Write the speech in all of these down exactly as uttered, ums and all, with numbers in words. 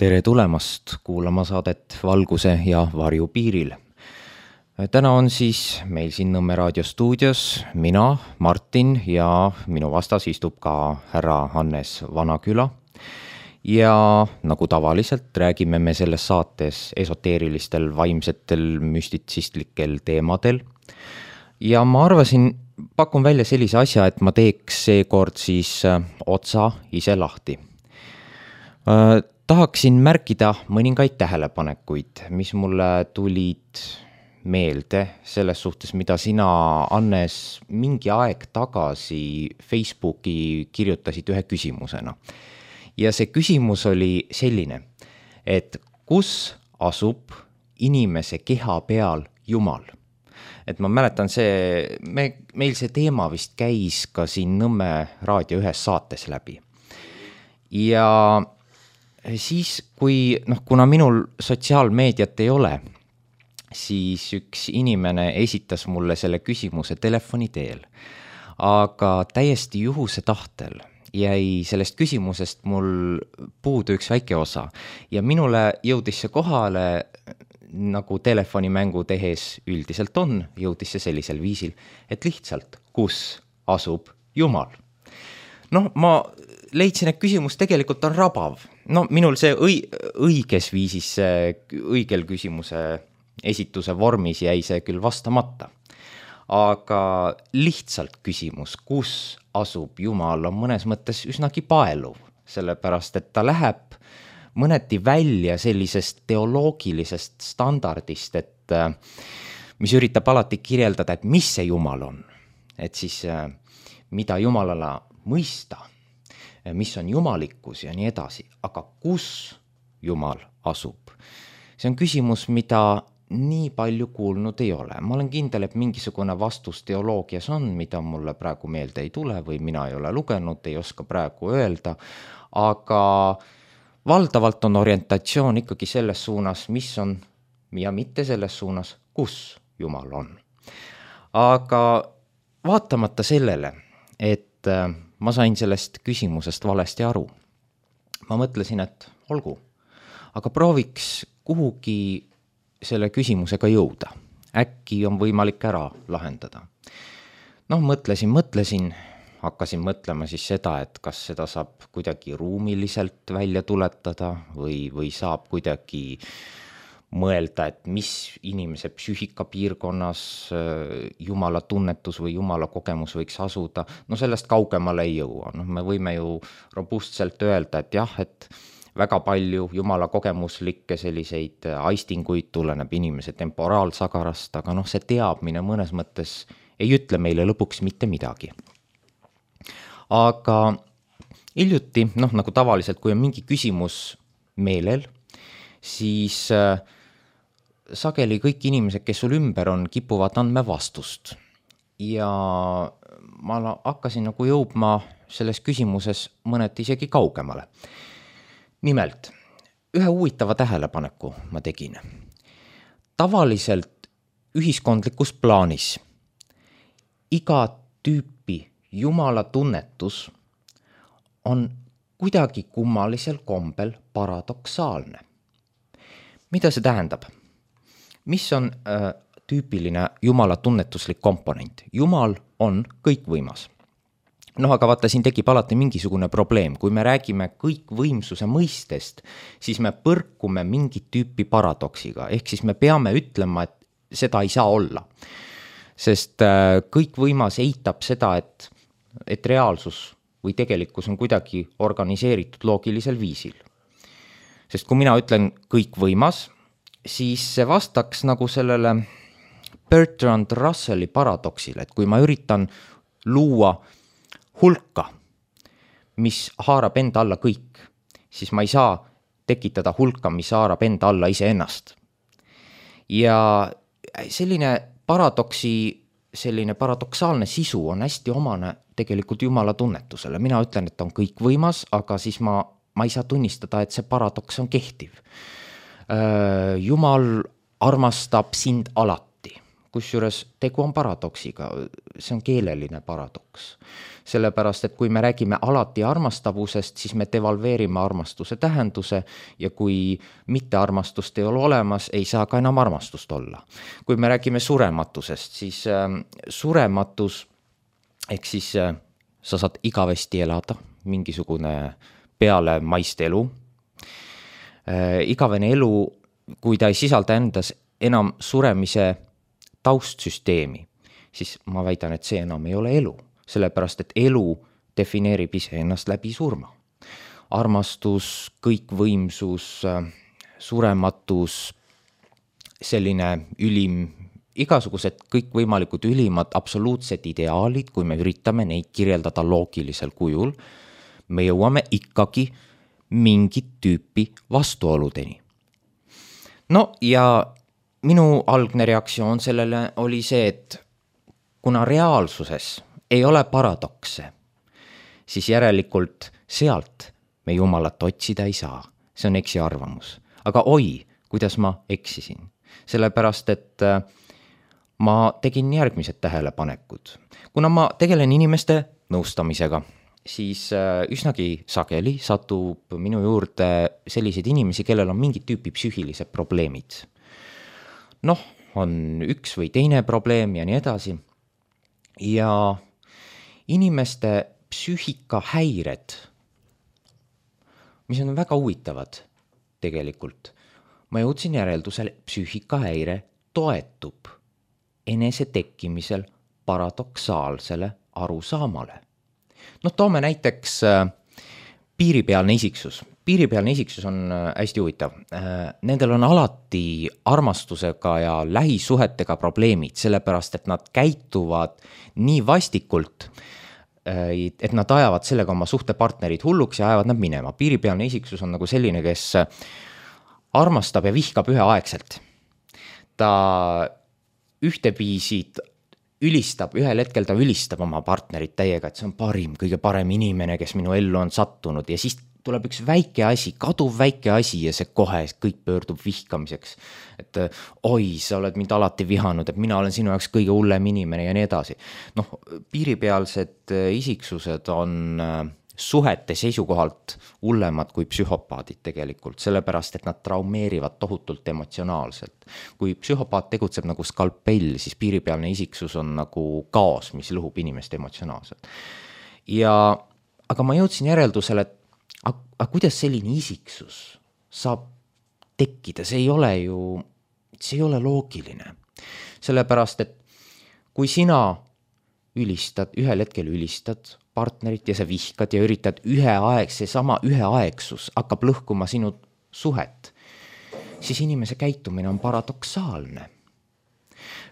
Tere tulemast kuulama saadet Valguse ja varju piiril. Täna on siis meil siin Nõmme raadio stuudios mina, Martin, ja minu vastas istub ka härra Hannes Vanaküla. Ja nagu tavaliselt räägime me selles saates esoteerilistel, vaimsetel, müstitsistlikel teemadel. Ja ma arvasin, pakun välja sellise asja, et ma teeks seekord siis otsa ise lahti. Tahaksin märkida mõningaid tähelepanekuid, mis mulle tulid meelde selles suhtes, mida sina, Hannes, mingi aeg tagasi Facebooki kirjutasid ühe küsimusena. Ja see küsimus oli selline, et kus asub inimese keha peal Jumal? Et ma mäletan, see, me, meil see teema vist käis ka siin Nõmme raadio ühes saates läbi. Ja siis, kui, noh, kuna minul sotsiaalmeediat ei ole, siis üks inimene esitas mulle selle küsimuse telefoni teel. Aga täiesti juhuse tahtel jäi sellest küsimusest mul puudu üks väike osa. Ja minule jõudis see kohale, nagu telefonimängu tehes üldiselt on, jõudis see sellisel viisil, et lihtsalt, kus asub Jumal. Noh, ma leidsin, et küsimus tegelikult on rabav. No minul see õi- õiges viisis, õigel küsimuse esituse vormis jäi see küll vastamata. Aga lihtsalt küsimus, kus asub Jumal, on mõnes mõttes üsnagi paeluv, sellepärast, et ta läheb mõneti välja sellisest teoloogilisest standardist, et mis üritab alati kirjeldada, et mis see Jumal on. Et siis mida Jumalala mõista, mis on jumalikkus ja nii edasi, aga kus Jumal asub? See on küsimus, mida nii palju kuulnud ei ole. Ma olen kindel, et mingisugune vastus teoloogias on, mida mulle praegu meelde ei tule või mina ei ole lugenud, ei oska praegu öelda, aga valdavalt on orientatsioon ikkagi selles suunas, mis on, ja mitte selles suunas, kus Jumal on. Aga vaatamata sellele, et ma sain sellest küsimusest valesti aru. Ma mõtlesin, et olgu, aga prooviks kuhugi selle küsimusega jõuda. Äkki on võimalik ära lahendada. Noh, mõtlesin, mõtlesin, hakkasin mõtlema siis seda, et kas seda saab kuidagi ruumiliselt välja tuletada või, või saab kuidagi mõelda, et mis inimese psüühika piirkonnas Jumala tunnetus või Jumala kogemus võiks asuda. No sellest kaugemale ei jõua. No, me võime ju robustselt öelda, et jah, et väga palju Jumala kogemuslikke selliseid aistinguid tuleneb inimese temporaalsagarast, aga noh, see teadmine mõnes mõttes ei ütle meile lõpuks mitte midagi. Aga hiljuti, noh, nagu tavaliselt, kui on mingi küsimus meelel, siis sageli kõik inimesed, kes sul ümber on, kipuvad andma vastust. Ja ma hakkasin nagu jõudma selles küsimuses mõneti isegi kaugemale. Nimelt, ühe huvitava tähelepaneku ma tegin. Tavaliselt ühiskondlikus plaanis iga tüüpi Jumala tunnetus on kuidagi kummalisel kombel paradoksaalne. Mida see tähendab? Mis on äh, tüüpiline Jumala tunnetuslik komponent? Jumal on kõikvõimas. Noh, aga vaata, siin tekib alati mingisugune probleem. Kui me räägime kõikvõimsuse mõistest, siis me põrkume mingit tüüpi paradoksiga. Ehk siis me peame ütlema, et seda ei saa olla. Sest äh, kõikvõimas eitab seda, et, et reaalsus või tegelikkus on kuidagi organiseeritud loogilisel viisil. Sest kui mina ütlen kõikvõimas, siis see vastaks nagu sellele Bertrand Russelli paradoksile, et kui ma üritan luua hulka, mis haarab enda alla kõik, siis ma ei saa tekitada hulka, mis haarab enda alla iseennast. Ja selline paradoksi, selline paradoksaalne sisu on hästi omane tegelikult Jumala tunnetusele. Mina ütlen, et on kõikvõimas, aga siis ma, ma ei saa tunnistada, et see paradoks on kehtiv. Jumal armastab sind alati. kusjuures tegu on paradoksiga, see on keeleline paradoks. Sellepärast, et kui me räägime alati armastavusest, siis me devalveerime armastuse tähenduse ja kui mitte armastust ei ole olemas, ei saa ka enam armastust olla. Kui me räägime surematusest, siis äh, surematus, ehk siis äh, sa saad igavesti elada, mingisugune peale maist elu. Äh, igavene elu, kui ta ei sisalda endas enam suremise taustsüsteemi, siis ma väidan, et see enam ei ole elu. Sellepärast, et elu defineerib ise ennast läbi surma. Armastus, kõikvõimsus, surematus, selline ülim, igasugused kõikvõimalikud ülimad absoluutsed ideaalid, kui me üritame neid kirjeldada loogilisel kujul, me jõuame ikkagi mingit tüüpi vastuoludeni. No ja minu algne reaktsioon sellele oli see, et kuna reaalsuses ei ole paradokse, siis järelikult sealt me Jumalat otsida ei saa. See on eksi arvamus. Aga oi, kuidas ma eksisin. Sellepärast, et ma tegin järgmised tähelepanekud. Kuna ma tegelen inimeste nõustamisega, siis üsnagi sageli satub minu juurde selliseid inimesi, kellel on mingit tüüpi psüühilised probleemid. Noh, on üks või teine probleem ja nii edasi. Ja inimeste psüühikahäired, mis on väga huvitavad tegelikult. Ma jõudsin järeldusele, psüühikahäire toetub enese tekkimisel paradoksaalsele arusaamale. No toome näiteks piiripealne isiksus. Piiripealne isiksus on hästi huvitav. Nendel on alati armastusega ja lähisuhetega probleemid, sellepärast, et nad käituvad nii vastikult, et nad ajavad sellega oma suhtepartnerid hulluks ja ajavad nad minema. Piiripealne isiksus on nagu selline, kes armastab ja vihkab üheaegselt. Ta ühteviisi ülistab, ühel hetkel ta ülistab oma partnerit täiega, et see on parim, kõige parem inimene, kes minu ellu on sattunud ja siis tuleb üks väike asi, kaduv väike asi ja see kohe kõik pöördub vihkamiseks. Et oi, sa oled mind alati vihanud, et mina olen sinu jaoks kõige hullem inimene ja nii edasi. Noh, piiripealsed isiksused on suhete seisukohalt hullemad kui psühhopaadid tegelikult, sellepärast, et nad traumeerivad tohutult emotsionaalselt. Kui psühhopaat tegutseb nagu skalpell, siis piiripealne isiksus on nagu kaos, mis lõhub inimest emotsionaalselt. Ja, aga ma jõudsin järeldusele, et aga kuidas selline isiksus saab tekkida? See ei ole ju, see ei ole loogiline. Sellepärast, et kui sina ülistad, ühel hetkel ülistad partnerit ja sa vihkad ja üritad üheaeg, see sama üheaegsus hakkab lõhkuma sinu suhet, siis inimese käitumine on paradoksaalne.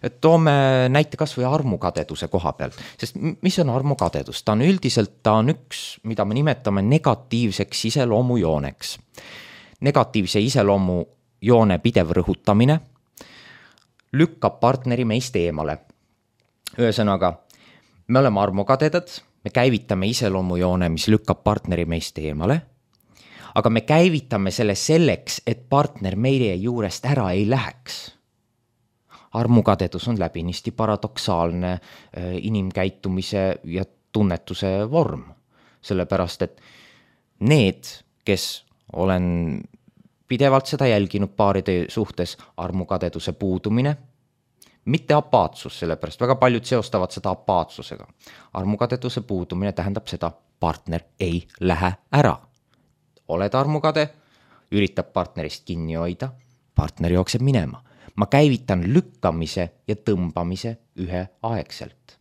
Et toome näite kas või armukadeduse koha pealt, sest mis on armukadedus? Ta on üldiselt, ta on üks, mida me nimetame negatiivseks iseloomujooneks. Negatiivse iseloomujoone pidev rõhutamine lükkab partneri meist eemale. Ühesõnaga, me oleme armukadedad, me käivitame iseloomujoone, mis lükkab partneri meist eemale, aga me käivitame selle selleks, et partner meie juurest ära ei läheks. Armukadedus on läbinisti paradoksaalne inimkäitumise ja tunnetuse vorm, sellepärast, et need, kes olen pidevalt seda jälginud paaride suhtes, armukadeduse puudumine, mitte apaatsus, sellepärast väga paljud seostavad seda apaatsusega. Armukadeduse puudumine tähendab seda, partner ei lähe ära. Oled armukade, üritab partnerist kinni hoida, partner jookseb minema. Ma käivitan lükkamise ja tõmbamise üheaegselt.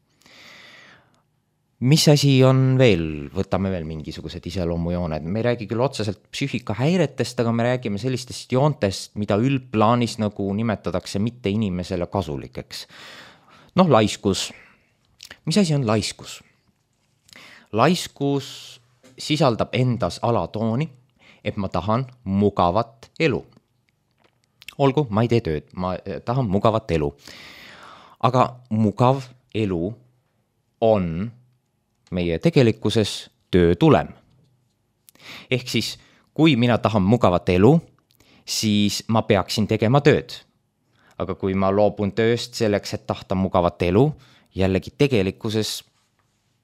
Mis asi on veel? Võtame veel mingisugused iseloomujooned. Me ei räägi küll otseselt psüühikahäiretest, aga me räägime sellistest joontest, mida üldplaanis nagu nimetatakse mitte inimesele kasulikeks. Noh, laiskus. Mis asi on laiskus? Laiskus sisaldab endas alatooni, et ma tahan mugavat elu. Olgu, ma ei tee tööd, ma tahan mugavat elu. Aga mugav elu on meie tegelikkuses töö tulem. Ehk siis, kui mina tahan mugavat elu, siis ma peaksin tegema tööd. aga kui ma loobun tööst selleks, et tahta mugavat elu, jällegi tegelikkuses,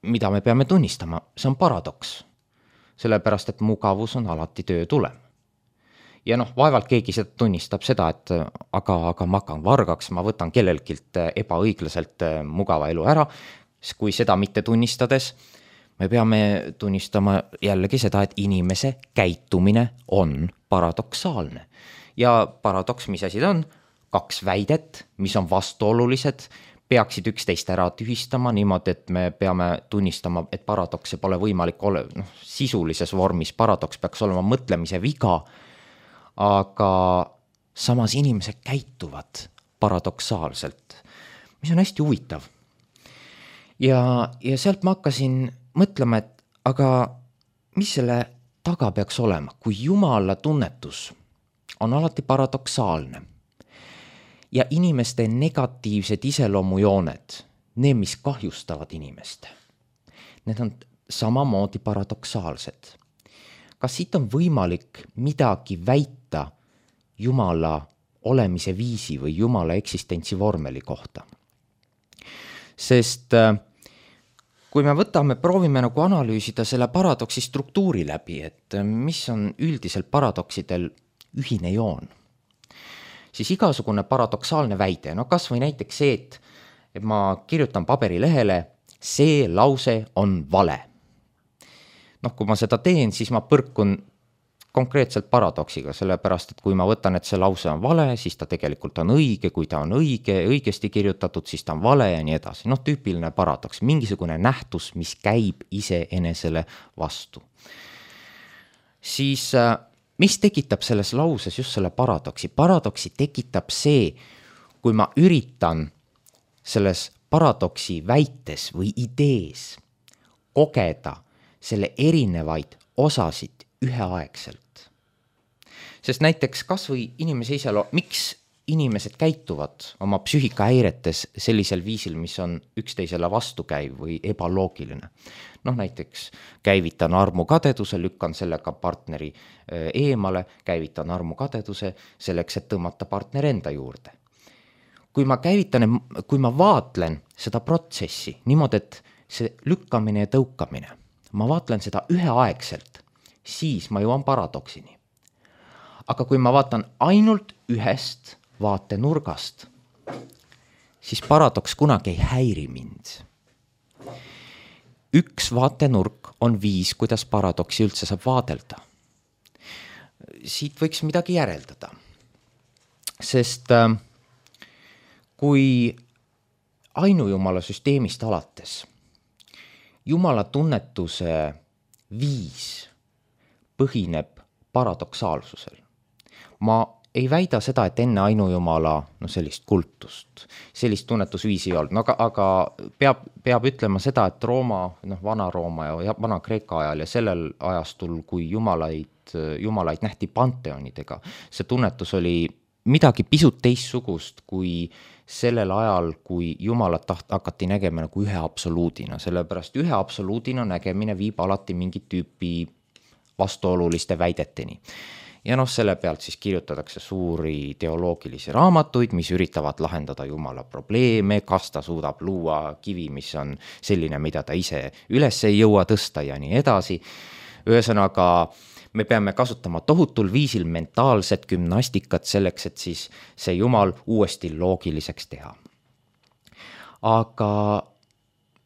mida me peame tunnistama, see on paradoks. Sellepärast, et mugavus on alati töö tulem. Ja noh, vaevalt keegi seda tunnistab seda, et aga, aga ma hakkan vargaks, ma võtan kellelgilt ebaõiglaselt mugava elu ära, kui seda mitte tunnistades, me peame tunnistama jällegi seda, et inimese käitumine on paradoksaalne. Ja paradoks, mis asi ta on? Kaks väidet, mis on vastuolulised, peaksid üksteist ära tühistama niimoodi, et me peame tunnistama, et paradokse pole võimalik ole, noh, sisulises vormis paradoks peaks olema mõtlemise viga, aga samas inimesed käituvad paradoksaalselt, mis on hästi huvitav. Ja, ja sealt ma hakkasin mõtlema, et aga mis selle taga peaks olema, kui Jumala tunnetus on alati paradoksaalne ja inimeste negatiivsed iseloomujooned, need, mis kahjustavad inimest, need on samamoodi paradoksaalsed. Kas siit on võimalik midagi väita Jumala olemise viisi või Jumala eksistentsi vormeli kohta? Sest kui me võtame, proovime nagu analüüsida selle paradoksi struktuuri läbi, et mis on üldiselt paradoksidel ühine joon, siis igasugune paradoksaalne väide, no kas või näiteks see, et, et ma kirjutan paberilehele, see lause on vale. Noh, kui ma seda teen, siis ma põrkun konkreetselt paradoksiga, sellepärast, et kui ma võtan, et see lause on vale, siis ta tegelikult on õige, kui ta on õige, õigesti kirjutatud, siis ta on vale ja nii edasi. Noh, tüüpiline paradoks, mingisugune nähtus, mis käib iseenesele vastu. Siis mis tekitab selles lauses just selle paradoksi? Paradoksi tekitab see, kui ma üritan selles paradoksi väites või idees kogeda selle erinevaid osasid üheaegselt. Sest näiteks kas või inimese iseloom, miks inimesed käituvad oma psüühikahäiretes sellisel viisil, mis on üksteisele vastukäiv või ebaloogiline. Noh, näiteks käivitan armukadeduse, lükkan sellega partneri eemale, käivitan armukadeduse selleks, et tõmmata partner enda juurde. Kui ma käivitan, kui ma vaatlen seda protsessi niimoodi, et see lükkamine ja tõukamine, ma vaatlen seda üheaegselt, siis ma jõuan paradoksini. Aga kui ma vaatan ainult ühest vaatenurgast, siis paradoks kunagi ei häiri mind. Üks vaatenurk on viis, kuidas paradoksi üldse saab vaadelda. Siit võiks midagi järeldada. Sest kui ainujumala süsteemist alates Jumala tunnetuse viis põhineb paradoksaalsusel. Ma ei väida seda, et enne ainujumala no sellist kultust, sellist tunnetusviisi ei olnud, no, aga, aga peab, peab ütlema seda, et Rooma, noh, Vana-Rooma ja Vana-Kreeka ajal ja sellel ajastul, kui jumalaid, jumalaid nähti panteonidega, see tunnetus oli midagi pisut teistsugust kui sellel ajal, kui jumalat taht, hakati nägema nagu ühe absoluudina, sellepärast ühe absoluudina nägemine viib alati mingit tüüpi vastuoluliste väideteni. Ja noh, selle pealt siis kirjutatakse suuri teoloogilisi raamatuid, mis üritavad lahendada Jumala probleeme, kas ta suudab luua kivi, mis on selline, mida ta ise üles ei jõua tõsta ja nii edasi. Ühesõnaga, me peame kasutama tohutul viisil mentaalset gümnastikat selleks, et siis see Jumal uuesti loogiliseks teha. Aga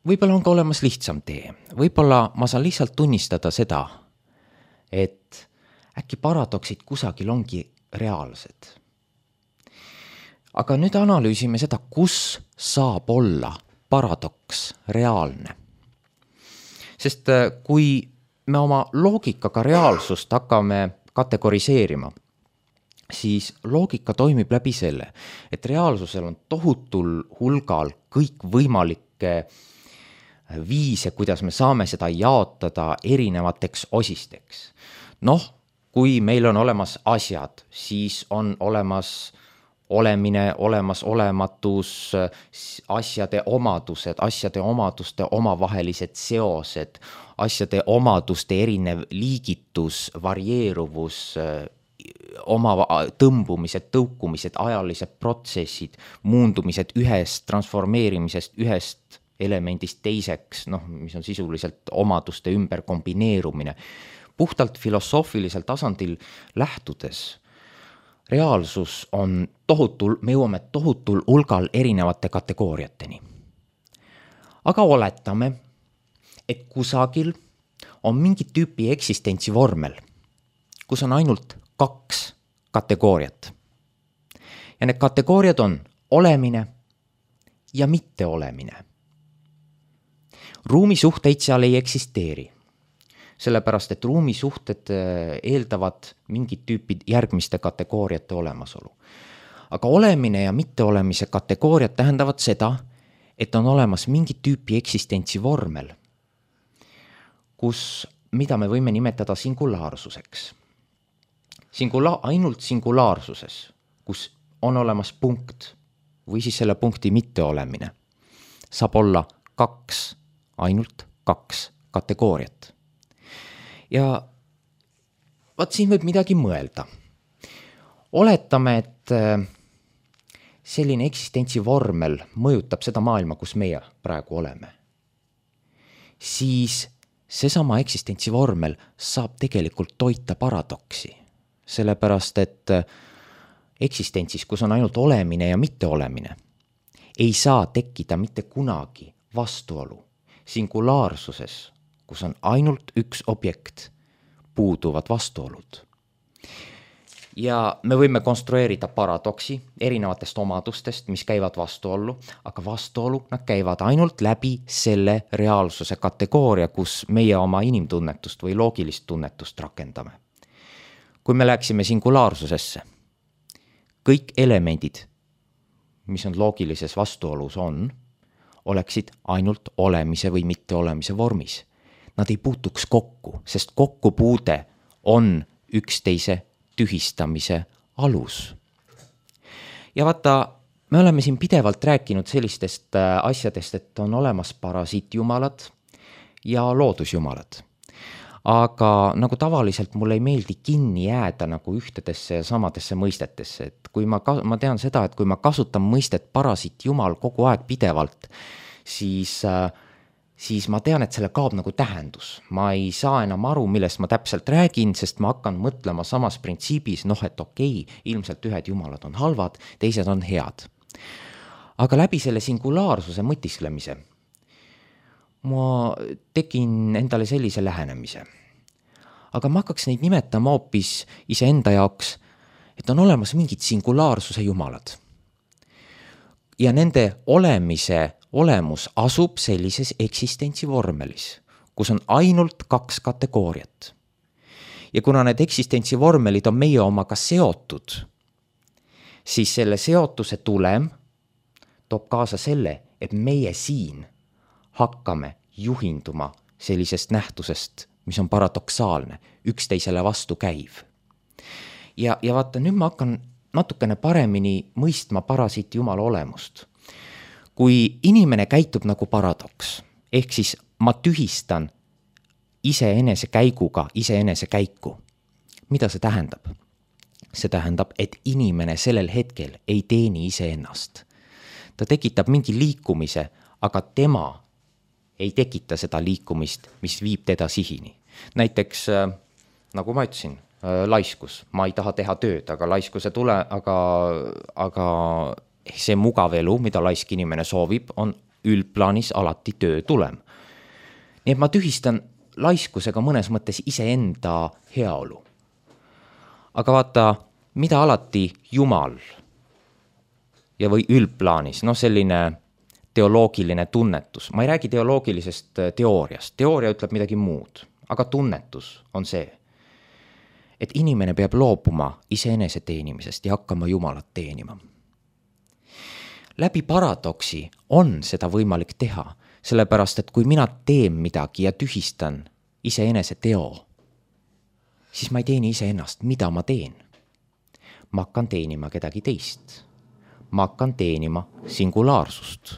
võib-olla on ka olemas lihtsam tee. Võib-olla ma saan lihtsalt tunnistada seda, et äkki paradoksid kusagil ongi reaalsed. Aga nüüd analüüsime seda, kus saab olla paradoks reaalne. Sest kui me oma loogikaga reaalsust hakkame kategoriseerima, siis loogika toimib läbi selle, et reaalsusel on tohutul hulgal kõik võimalikke viise, kuidas me saame seda jaotada erinevateks osisteks. Noh, kui meil on olemas asjad, siis on olemas olemine, olemas olematus, asjade omadused, asjade omaduste omavahelised seosed, asjade omaduste erinev liigitus, varieeruvus, oma tõmbumised, tõukumised, ajalised protsessid, muundumised ühest, transformeerimisest ühest elemendist teiseks, noh, mis on sisuliselt omaduste ümber kombineerumine. Puhtalt filosoofilisel tasandil lähtudes reaalsus on tohutul, me jõuame tohutul hulgal erinevate kategooriateni. Aga oletame, et kusagil on mingi tüüpi eksistentsi vormel, kus on ainult kaks kategooriat. Ja need kategooriad on olemine ja mitteolemine. Ruumisuhteid seal ei eksisteeri, sellepärast et ruumisuhted eeldavad mingit tüüpi järgmiste kategooriate olemasolu. Aga olemine ja mitteolemise kategooriad tähendavad seda, et on olemas mingi tüüpi eksistentsi vormel, kus, mida me võime nimetada singulaarsuseks. Singula- ainult singulaarsuses, kus on olemas punkt või siis selle punkti mitteolemine, saab olla kaks, ainult kaks kategooriat. Ja vaat siin võib midagi mõelda. Oletame, et selline eksistentsi vormel mõjutab seda maailma, kus meie praegu oleme. Siis seesama eksistentsi vormel saab tegelikult toita paradoksi. Sellepärast, et eksistentsis, kus on ainult olemine ja mitteolemine, ei saa tekkida mitte kunagi vastuolu. Singulaarsuses, kus on ainult üks objekt, puuduvad vastuolud. Ja me võime konstrueerida paradoksi erinevatest omadustest, mis käivad vastuollu, aga vastuolu nad käivad ainult läbi selle reaalsuse kategooria, kus meie oma inimtunnetust või loogilist tunnetust rakendame. Kui me läheksime singulaarsusesse, kõik elemendid, mis on loogilises vastuolus on, oleksid ainult olemise või mitteolemise vormis. Nad ei puutuks kokku, sest kokkupuude on üksteise tühistamise alus. Ja vaata, me oleme siin pidevalt rääkinud sellistest asjadest, et on olemas parasiitjumalad ja loodusjumalad. Aga nagu tavaliselt mulle ei meeldi kinni jääda nagu ühtedesse ja samadesse mõistetesse, et kui ma, ma tean seda, et kui ma kasutan mõistet parasiitjumal kogu aeg pidevalt, siis äh, siis ma tean, et selle kaob nagu tähendus. Ma ei saa enam aru, millest ma täpselt räägin, sest ma hakkan mõtlema samas printsiibis, noh, et okei, ilmselt ühed jumalad on halvad, teised on head. Aga läbi selle singulaarsuse mõtisklemise ma tegin endale sellise lähenemise. Aga ma hakkaks neid nimetama hoopis iseenda jaoks, et on olemas mingid singulaarsuse jumalad. Ja nende olemise olemus asub sellises eksistentsi vormelis, kus on ainult kaks kategooriat. Ja kuna need eksistentsi vormelid on meie omaga seotud, siis selle seotuse tulem toob kaasa selle, et meie siin hakkame juhinduma sellisest nähtusest, mis on paradoksaalne, üksteisele vastu käiv. Ja, ja vaata, nüüd ma hakkan natukene paremini mõistma parasiiti jumala olemust. Kui inimene käitub nagu paradoks, ehk siis ma tühistan iseenese käiguga iseenese käiku. Mida see tähendab? See tähendab, et inimene sellel hetkel ei teeni iseennast. Ta tekitab mingi liikumise, aga tema ei tekita seda liikumist, mis viib teda sihini. Näiteks, nagu ma ütlesin, laiskus. Ma ei taha teha tööd, aga laiskuse tule, aga, aga see mugav elu, mida laisk inimene soovib, on üldplaanis alati töö tulem. Nii et ma tühistan laiskusega mõnes mõttes iseenda heaolu. Aga vaata, mida alati Jumal ja või üldplaanis, no selline teoloogiline tunnetus. Ma ei räägi teoloogilisest teooriast. Teooria ütleb midagi muud, aga tunnetus on see, et inimene peab loobuma iseenese teenimisest ja hakkama Jumalat teenima. Läbi paradoksi on seda võimalik teha, sellepärast, et kui mina teen midagi ja tühistan iseenese teo, siis ma ei teeni iseennast, mida ma teen. Ma hakkan teenima kedagi teist. Ma hakkan teenima singulaarsust,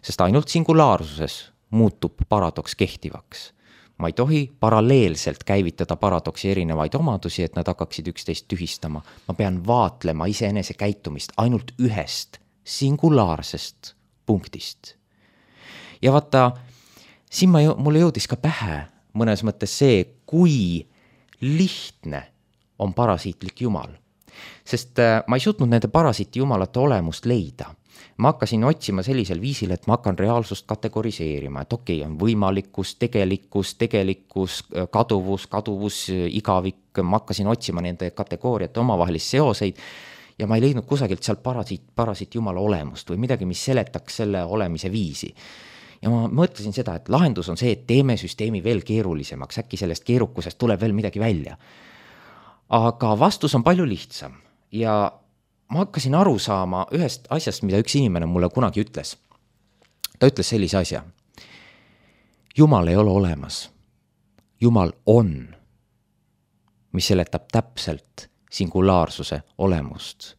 sest ainult singulaarsuses muutub paradoks kehtivaks. ma ei tohi paralleelselt käivitada paradoksi erinevaid omadusi, et nad hakkaksid üksteist tühistama. Ma pean vaatlema iseenese käitumist ainult ühest singulaarsest punktist. Ja vaata, siin ma, mulle jõudis ka pähe mõnes mõttes see, kui lihtne on parasiitlik jumal. Sest ma ei suutnud nende parasiiti jumalate olemust leida. Ma hakkasin otsima sellisel viisil, et ma hakkan reaalsust kategoriseerima, et okei, on võimalikkus, tegelikkus, tegelikkus, kaduvus, kaduvus, igavik. Ma hakkasin otsima nende kategooriate omavahelist seoseid ja ma ei leidnud kusagilt seal parasiit, parasiit jumala olemust või midagi, mis seletaks selle olemise viisi. Ja ma mõtlesin seda, et lahendus on see, et teeme süsteemi veel keerulisemaks, äkki sellest keerukusest tuleb veel midagi välja. Aga vastus on palju lihtsam ja ma hakkasin aru saama ühest asjast, mida üks inimene mulle kunagi ütles. Ta ütles sellise asja. Jumal ei ole olemas. Jumal on, mis seletab täpselt singulaarsuse olemust.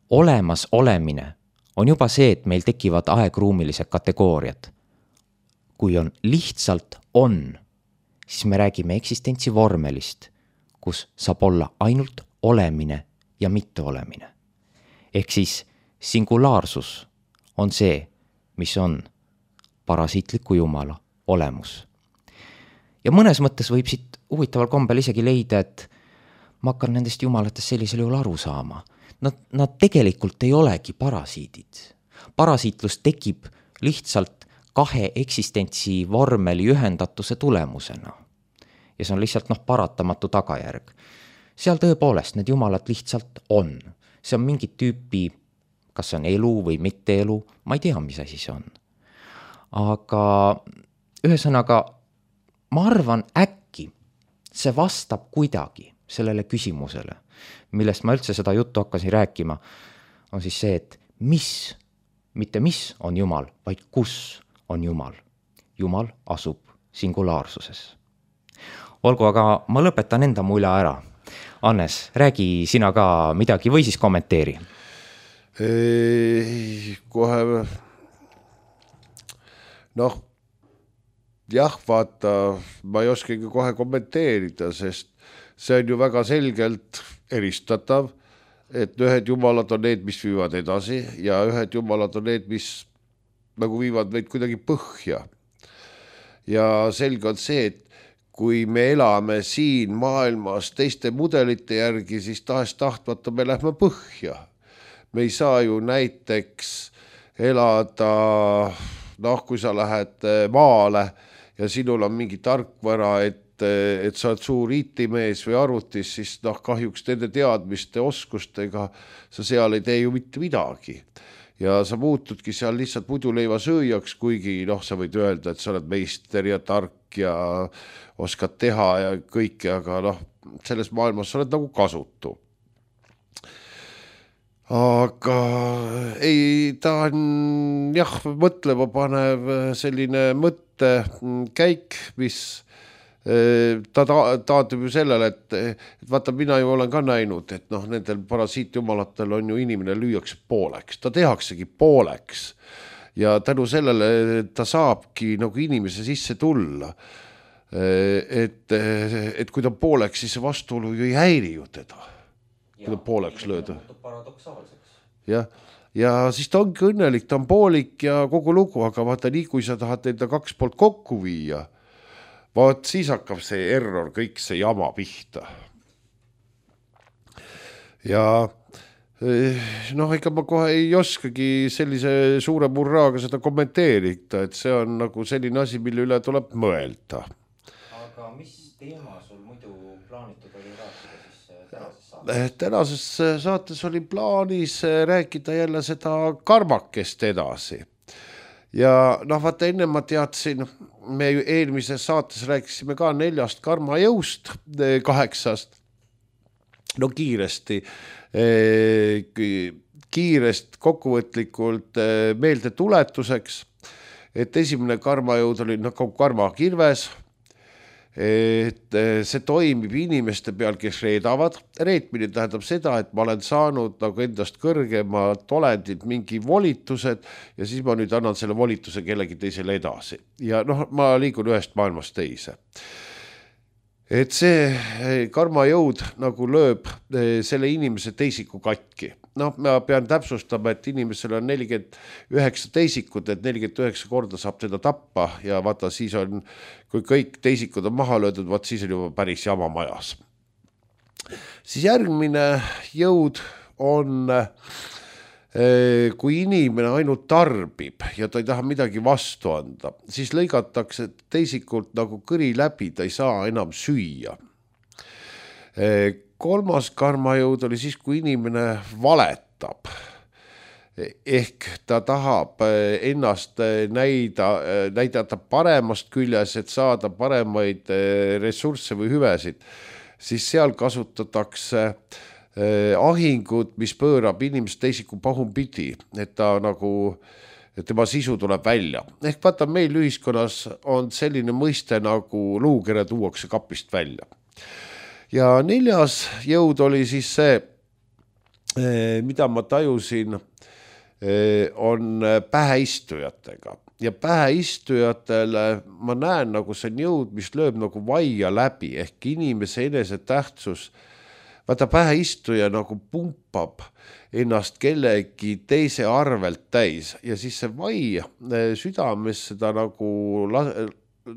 Olemas olemine on juba see, et meil tekivad aegruumilised kategooriad. Kui on lihtsalt on, siis me räägime eksistentsi vormelist, kus saab olla ainult olemine ja mitte olemine. Ehk siis singulaarsus on see, mis on parasiitliku jumala olemus. Ja mõnes mõttes võib siit huvitaval kombel isegi leida, et ma hakkan nendest jumalatest sellisel juhul aru saama. Nad, nad tegelikult ei olegi parasiidid. Parasiitlus tekib lihtsalt kahe eksistentsi vormeli ühendatuse tulemusena. Ja see on lihtsalt noh, paratamatu tagajärg. Seal tõepoolest need jumalad lihtsalt on. See on mingit tüüpi, kas see on elu või mitte elu, ma ei tea, mis asi see on. Aga ühesõnaga, ma arvan äkki, see vastab kuidagi sellele küsimusele, millest ma üldse seda juttu hakkasin rääkima, on siis see, et mis, mitte mis on Jumal, vaid kus on Jumal. Jumal asub singulaarsuses. Olgu, aga ma lõpetan enda mulja ära. Annes, räägi sina ka midagi või siis kommenteeri. Ei, kohe noh, jah, vaata, ma ei oskagi kohe kommenteerida, sest see on ju väga selgelt eristatav, et ühed jumalad on need, mis viivad edasi ja ühed jumalad on need, mis nagu viivad meid kuidagi põhja. Ja selge on see, et kui me elame siin maailmas teiste mudelite järgi, siis tahes tahtmata me lähme põhja. Me ei saa ju näiteks elada, noh, kui sa lähed maale ja sinul on mingi tarkvara, et, et sa oled suur I T-mees või arvutis, siis noh, kahjuks nende teadmiste oskustega sa seal ei tee ju mitte midagi. Ja sa muutudki seal lihtsalt muiduleiva sööjaks, kuigi noh, sa võid öelda, et sa oled meister ja tark ja oskad teha ja kõike, aga noh, selles maailmas sa oled nagu kasutu. Aga ei, ta on jah, mõtlema panev selline mõttekäik, mis ta taandub ju sellele, et, et vaata, mina ju olen ka näinud, et noh, nendel parasiitjumalatel on ju inimene lüüakse pooleks, ta tehaksegi pooleks ja tänu sellele ta saabki nagu inimese sisse tulla, et, et kui ta pooleks, siis vastuolu ju ei häiri ju teda, kui ta pooleks lööda. Ja, ja siis ta ongi õnnelik, ta on poolik ja kogu lugu, aga vaata nii, kui sa tahad enda kaks poolt kokku viia, vaat siis hakkab see error, kõik see jama pihta. Ja noh, ega ma kohe ei oskagi sellise suure murraaga seda kommenteerida, et see on nagu selline asi, mille üle tuleb mõelda. Aga mis teema sul muidu plaanitud oli rääkida siis tänases saates? Tänases saates oli plaanis rääkida jälle seda karmakest edasi. Ja noh, vaata enne ma teadsin, me eelmises saates rääkisime ka neljast karmajõust, kaheksast, no kiiresti, kiirest kokkuvõtlikult meelde tuletuseks, et esimene karmajõud oli nagu karmakirves, et see toimib inimeste peal, kes reedavad. Reetmine tähendab seda, et ma olen saanud nagu endast kõrgemalt olendilt mingi volitused ja siis ma nüüd annan selle volituse kellegi teisele edasi. Ja noh, ma liigun ühest maailmast teise. Et see karmajõud nagu lööb selle inimese teisiku katki. Noh, ma pean täpsustama, et inimesel on nelikümmend üheksa teisikut, et nelikümmend üheksa korda saab teda tappa ja vaata siis on, kui kõik teisikud on maha löödud, vaat siis on juba päris jama majas. Siis järgmine jõud on, kui inimene ainult tarbib ja ta ei taha midagi vastu anda, siis lõigatakse teisikult nagu kõri läbi, ta ei saa enam süüa. Kolmas karmajõud oli siis, kui inimene valetab. Ehk ta tahab ennast näida, näidata paremast küljes, et saada paremaid ressursse või hüvesid. Siis seal kasutatakse ahingut, mis pöörab inimest teisiku pahupidi, et ta nagu, et tema sisu tuleb välja. Ehk vaata, meil ühiskonnas on selline mõiste nagu luukere tuuakse kapist välja. Ja neljas jõud oli siis see, mida ma tajusin, on päheistujatega. Ja päheistujatele ma näen nagu see jõud, mis lööb nagu vaia läbi, ehk inimese enese tähtsus. Vaata, päheistuja nagu pumpab ennast kellegi teise arvelt täis ja siis see vai südames seda nagu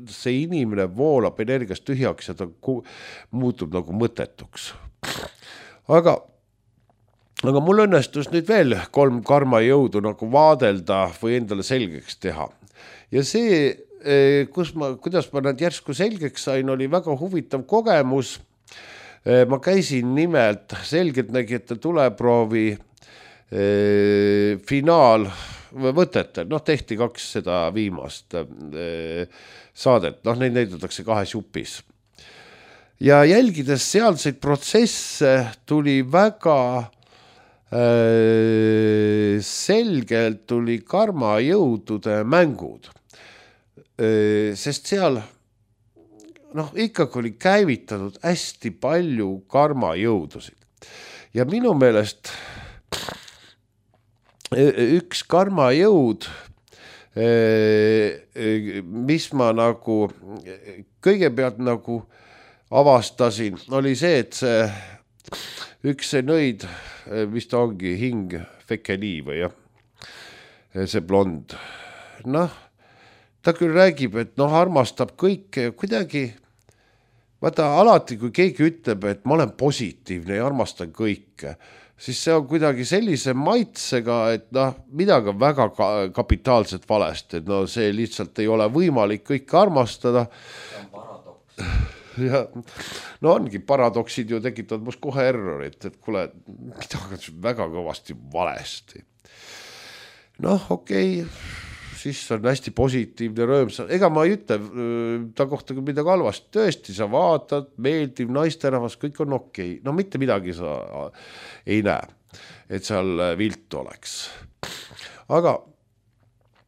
see inimene voolab energiast tühjaks ja ta muutub nagu mõttetuks. Aga, aga mul õnnestus nüüd veel kolm karmajõudu nagu vaadelda või endale selgeks teha. Ja see, kus ma, kuidas ma nad järsku selgeks sain, oli väga huvitav kogemus. Ma käisin nimelt selgeltnägijate tuleproovi finaal võtete, noh tehti kaks seda viimast saadet, noh neid näidatakse kahes jupis. Ja jälgides sealseid protsesse tuli väga äh, selgelt tuli karmajõudude mängud, äh, sest seal noh ikkagi oli käivitatud hästi palju karmajõudusid. Ja minu meelest üks karmajõud, mis ma nagu kõigepealt nagu avastasin, oli see, et see üks see nõid, mis ta ongi, hing Fekeni või jah, see blond. Noh, ta küll räägib, et noh, armastab kõike kuidagi, vaata alati, kui keegi ütleb, et ma olen positiivne ja armastan kõike, siis see on kuidagi sellise maitsega, et noh, midagi on väga kapitaalselt valesti, et no see lihtsalt ei ole võimalik kõike armastada. See on paradoks. Ja, no ongi, paradoksid ju tekitavad must kohe errorit, et kuule, midagi on väga kõvasti valesti. Noh, okei, siis on hästi positiivne rõõmsa. Ega ma ei ütle ta kohta kui midagi halvasti. Tõesti, sa vaatad, meeldiv naisterahvas, kõik on okei. No mitte midagi sa ei näe, et seal vilt oleks. Aga,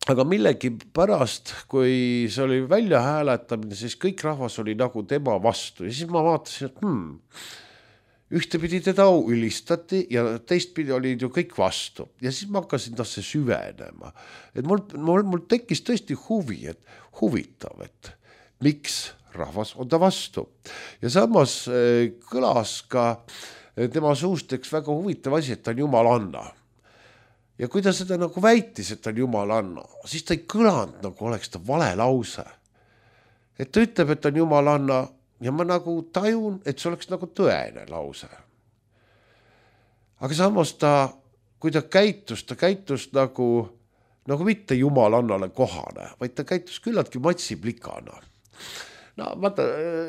aga millegi pärast, kui see oli välja hääletamine, siis kõik rahvas oli nagu tema vastu. Ja siis ma vaatasin, et hmm, ühtepidi teda ülistati ja teistpidi olid ju kõik vastu. Ja siis ma hakkasin tasse süvenema. Et mul, mul, mul tekkis tõesti huvi, et huvitav, et miks rahvas on ta vastu. Ja samas kõlas ka tema suust üks väga huvitav asi, et ta on jumalanna. Ja kui ta seda nagu väitis, et ta on jumalanna, siis ta ei kõlanud nagu oleks ta vale lause. Et ta ütleb, et ta on jumalanna ja ma nagu tajun, et see oleks nagu tõene lause. Aga samas ta, kui ta käitus, ta käitus nagu, nagu mitte jumalannale kohane, vaid ta käitus küllaltki matsiplikana. No vaata,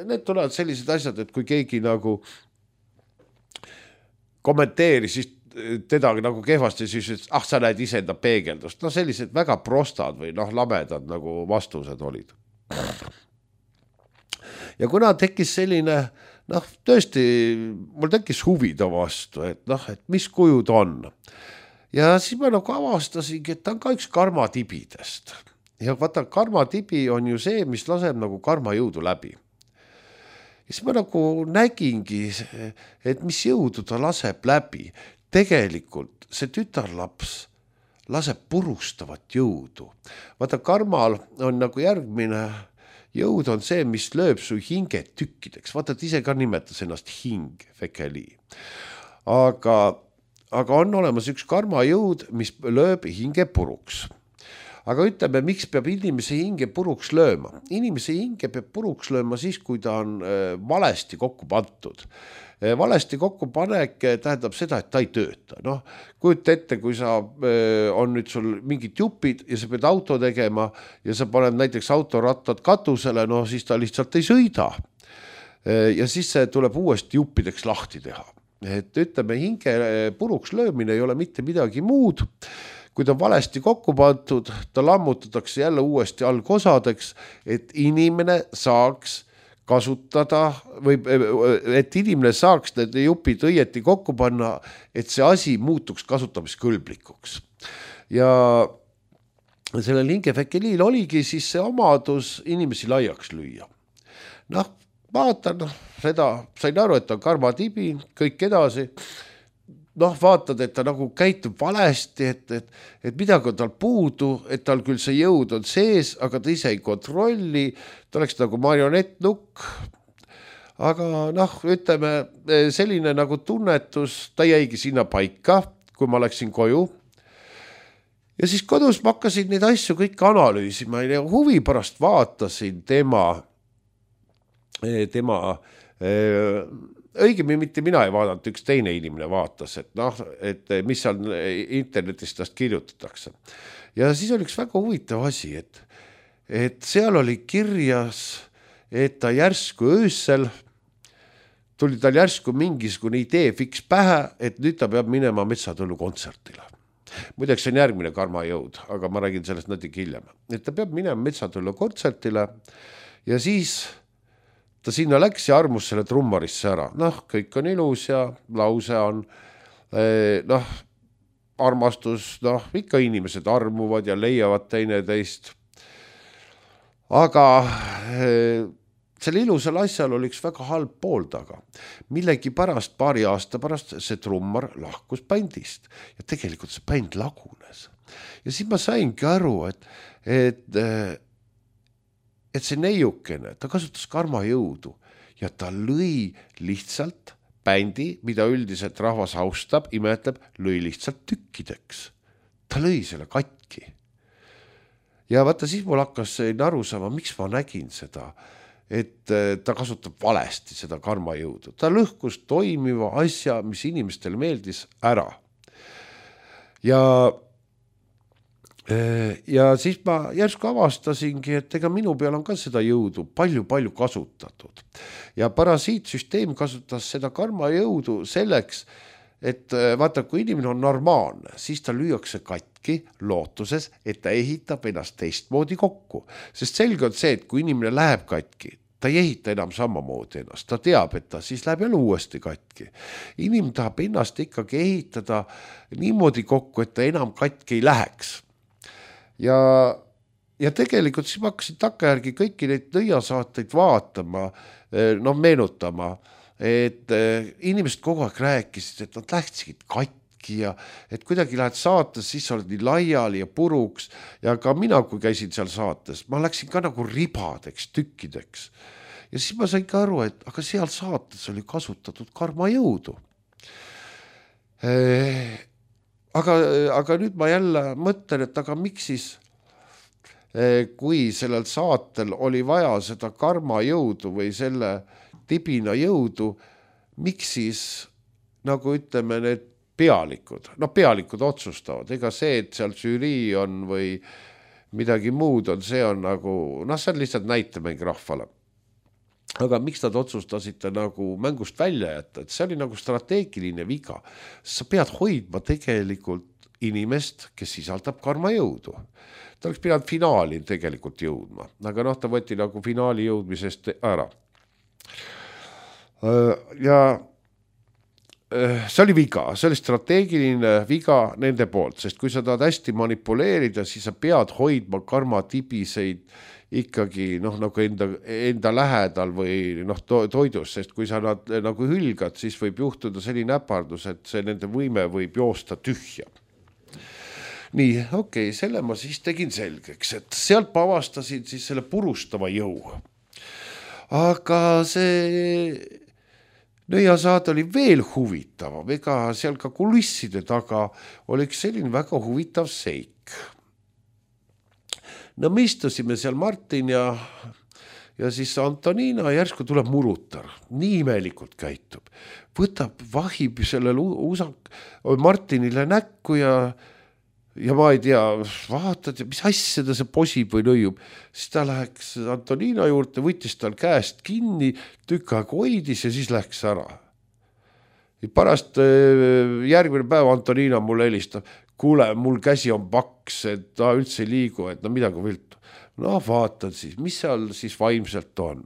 need tulevad sellised asjad, et kui keegi nagu kommenteeri, siis teda nagu kehvasti, siis ütles, ah, sa näed iseenda peegeldust. No sellised väga prostad või noh, lamedad nagu vastused olid. Ja kuna tekkis selline, noh, tõesti, mul tekkis huvida vastu, et noh, et mis kujud on. Ja siis ma nagu avastasingi, et ta on ka üks karmatibidest. Ja vaata, karmatibi on ju see, mis laseb nagu karmajõudu läbi. ja siis ma nagu nägingi, et mis jõudu ta laseb läbi. Tegelikult see tütarlaps laseb purustavat jõudu. Vaata, karmal on nagu järgmine jõud on see, mis lööb su hinge tükkideks. Vaata, et ise ka nimetas ennast hing, fekeli. Aga, aga on olemas üks karmajõud, mis lööb hinge puruks. Aga ütleme, miks peab inimese hinge puruks lööma? Inimese hinge peab puruks lööma siis, kui ta on valesti kokku pandud. Valesti kokku panek tähendab seda, et ta ei tööta. Noh, kujuta ette, kui sa on nüüd sul mingid jupid ja sa pead auto tegema ja sa paned näiteks autorattad katusele, no siis ta lihtsalt ei sõida. Ja siis see tuleb uuesti juppideks lahti teha. Et ütleme, hinge puruks löömine ei ole mitte midagi muud. Kui ta valesti kokku pandud, ta lammutatakse jälle uuesti algosadeks, et inimene saaks kasutada või et inimene saaks need jupid õieti kokku panna, et see asi muutuks kasutamiskõlblikuks. Ja sellel hingefekeliil oligi siis see omadus inimesi laiaks lüüa. Noh, vaatan seda, sain aru, et on karmatibi, kõik edasi. Noh, vaatad, et ta nagu käitub valesti, et, et, et midagi on tal puudu, et tal küll see jõud on sees, aga ta ise ei kontrolli, ta oleks nagu marionettnukk. Aga noh, ütleme, selline nagu tunnetus, ta jäigi sinna paika, kui ma läksin koju. Ja siis kodus ma hakkasin neid asju kõik analüüsima ja huvi pärast vaatasin tema, tema õigemi mitte mina ei vaadanud, üks teine inimene vaatas, et noh, et mis seal internetis tast kirjutatakse. Ja siis oli üks väga huvitav asi, et, et seal oli kirjas, et ta järsku öösel, tuli tal järsku mingisugune idee fiks pähe, et nüüd ta peab minema Metsatõllu kontsertile. Muideks see on järgmine karmajõud, aga ma räägin sellest natuke hiljem. Et ta peab minema Metsatõllu kontsertile ja siis ta sinna läks ja armus selle trummarisse ära. Noh, kõik on ilus ja lause on, noh, armastus, noh, ikka inimesed armuvad ja leiavad teine teist. Aga selle ilusal asjal oli üks väga halb pool taga. Millegi pärast, paari aasta pärast see trummar lahkus bändist ja tegelikult see bänd lagunes. Ja siis ma saingi aru, et, et et see neiukene, ta kasutas karmajõudu ja ta lõi lihtsalt bändi, mida üldiselt rahvas austab, imetleb, lõi lihtsalt tükkideks. Ta lõi selle katki. Ja vaata, siis mul hakkas aru saama, miks ma nägin seda, et ta kasutab valesti seda karmajõudu. Ta lõhkus toimiva asja, mis inimestele meeldis ära. Ja Ja siis ma järsku avastasingi, et ega minu peal on ka seda jõudu palju-palju kasutatud. Ja parasiitsüsteem kasutas seda karmajõudu selleks, et vaata, kui inimene on normaalne, siis ta lüüakse katki lootuses, et ta ehitab ennast teistmoodi kokku. Sest selge on see, et kui inimene läheb katki, ta ei ehita enam samamoodi ennast. Ta teab, et ta siis läheb jälle uuesti katki. Inimene tahab ennast ikkagi ehitada niimoodi kokku, et ta enam katki ei läheks. Ja, ja tegelikult siis ma hakkasin takkajärgi kõiki neid nõiasaateid vaatama, no meenutama, et inimesed kogu aeg rääkisid, et nad lähtsid katki ja et kuidagi lähed saates, siis oled nii laiali ja puruks ja ka mina, kui käisin seal saates, ma läksin ka nagu ribadeks, tükkideks. Ja siis ma sain ka aru, et aga seal saates oli kasutatud karmajõudu. Aga, aga nüüd ma jälle mõtlen, et aga miks siis, kui sellel saatel oli vaja seda karmajõudu või selle tibina jõudu, miks siis, nagu ütleme, need pealikud, no pealikud otsustavad, ega see, et seal žürii on või midagi muud on, see on nagu, noh, see on lihtsalt näitemäng rahvale. Aga miks nad otsustasid nagu mängust välja jätta, et see oli nagu strateegiline viga. Sa pead hoidma tegelikult inimest, kes sisaldab karmajõudu. Ta oleks pidanud finaali tegelikult jõudma, aga noh, ta võeti nagu finaali jõudmisest ära. Ja see oli viga, see oli strateegiline viga nende poolt, sest kui sa tahad hästi manipuleerida, siis sa pead hoidma karmatibiseid ikkagi noh, nagu enda, enda lähedal või noh, to, toidus, sest kui sa nad nagu hülgad, siis võib juhtuda selline äpardus, et see nende võime võib joosta tühja. Nii, okei, okay, selle ma siis tegin selgeks, et sealt ma avastasin siis selle purustava jõu. Aga see nõiasaad oli veel huvitavam, ega seal ka kulisside taga oli üks selline väga huvitav seik. No me istusime seal Martin ja, ja siis Antonina järsku tuleb murutar, nii imelikult käitub. Võtab, vahib sellele usak, Martinile näkku ja, ja ma ei tea, vaatad, mis asja ta see posib või nõiub. Siis ta läheks Antonina juurde, võttis tal käest kinni, tükk aeg hoidis ja siis läks ära. Pärast järgmine päev Antonina mulle helistab, kuule, mul käsi on paks, et ta üldse ei liigu, et no midagi viltu. No vaatad siis, mis seal siis vaimselt on.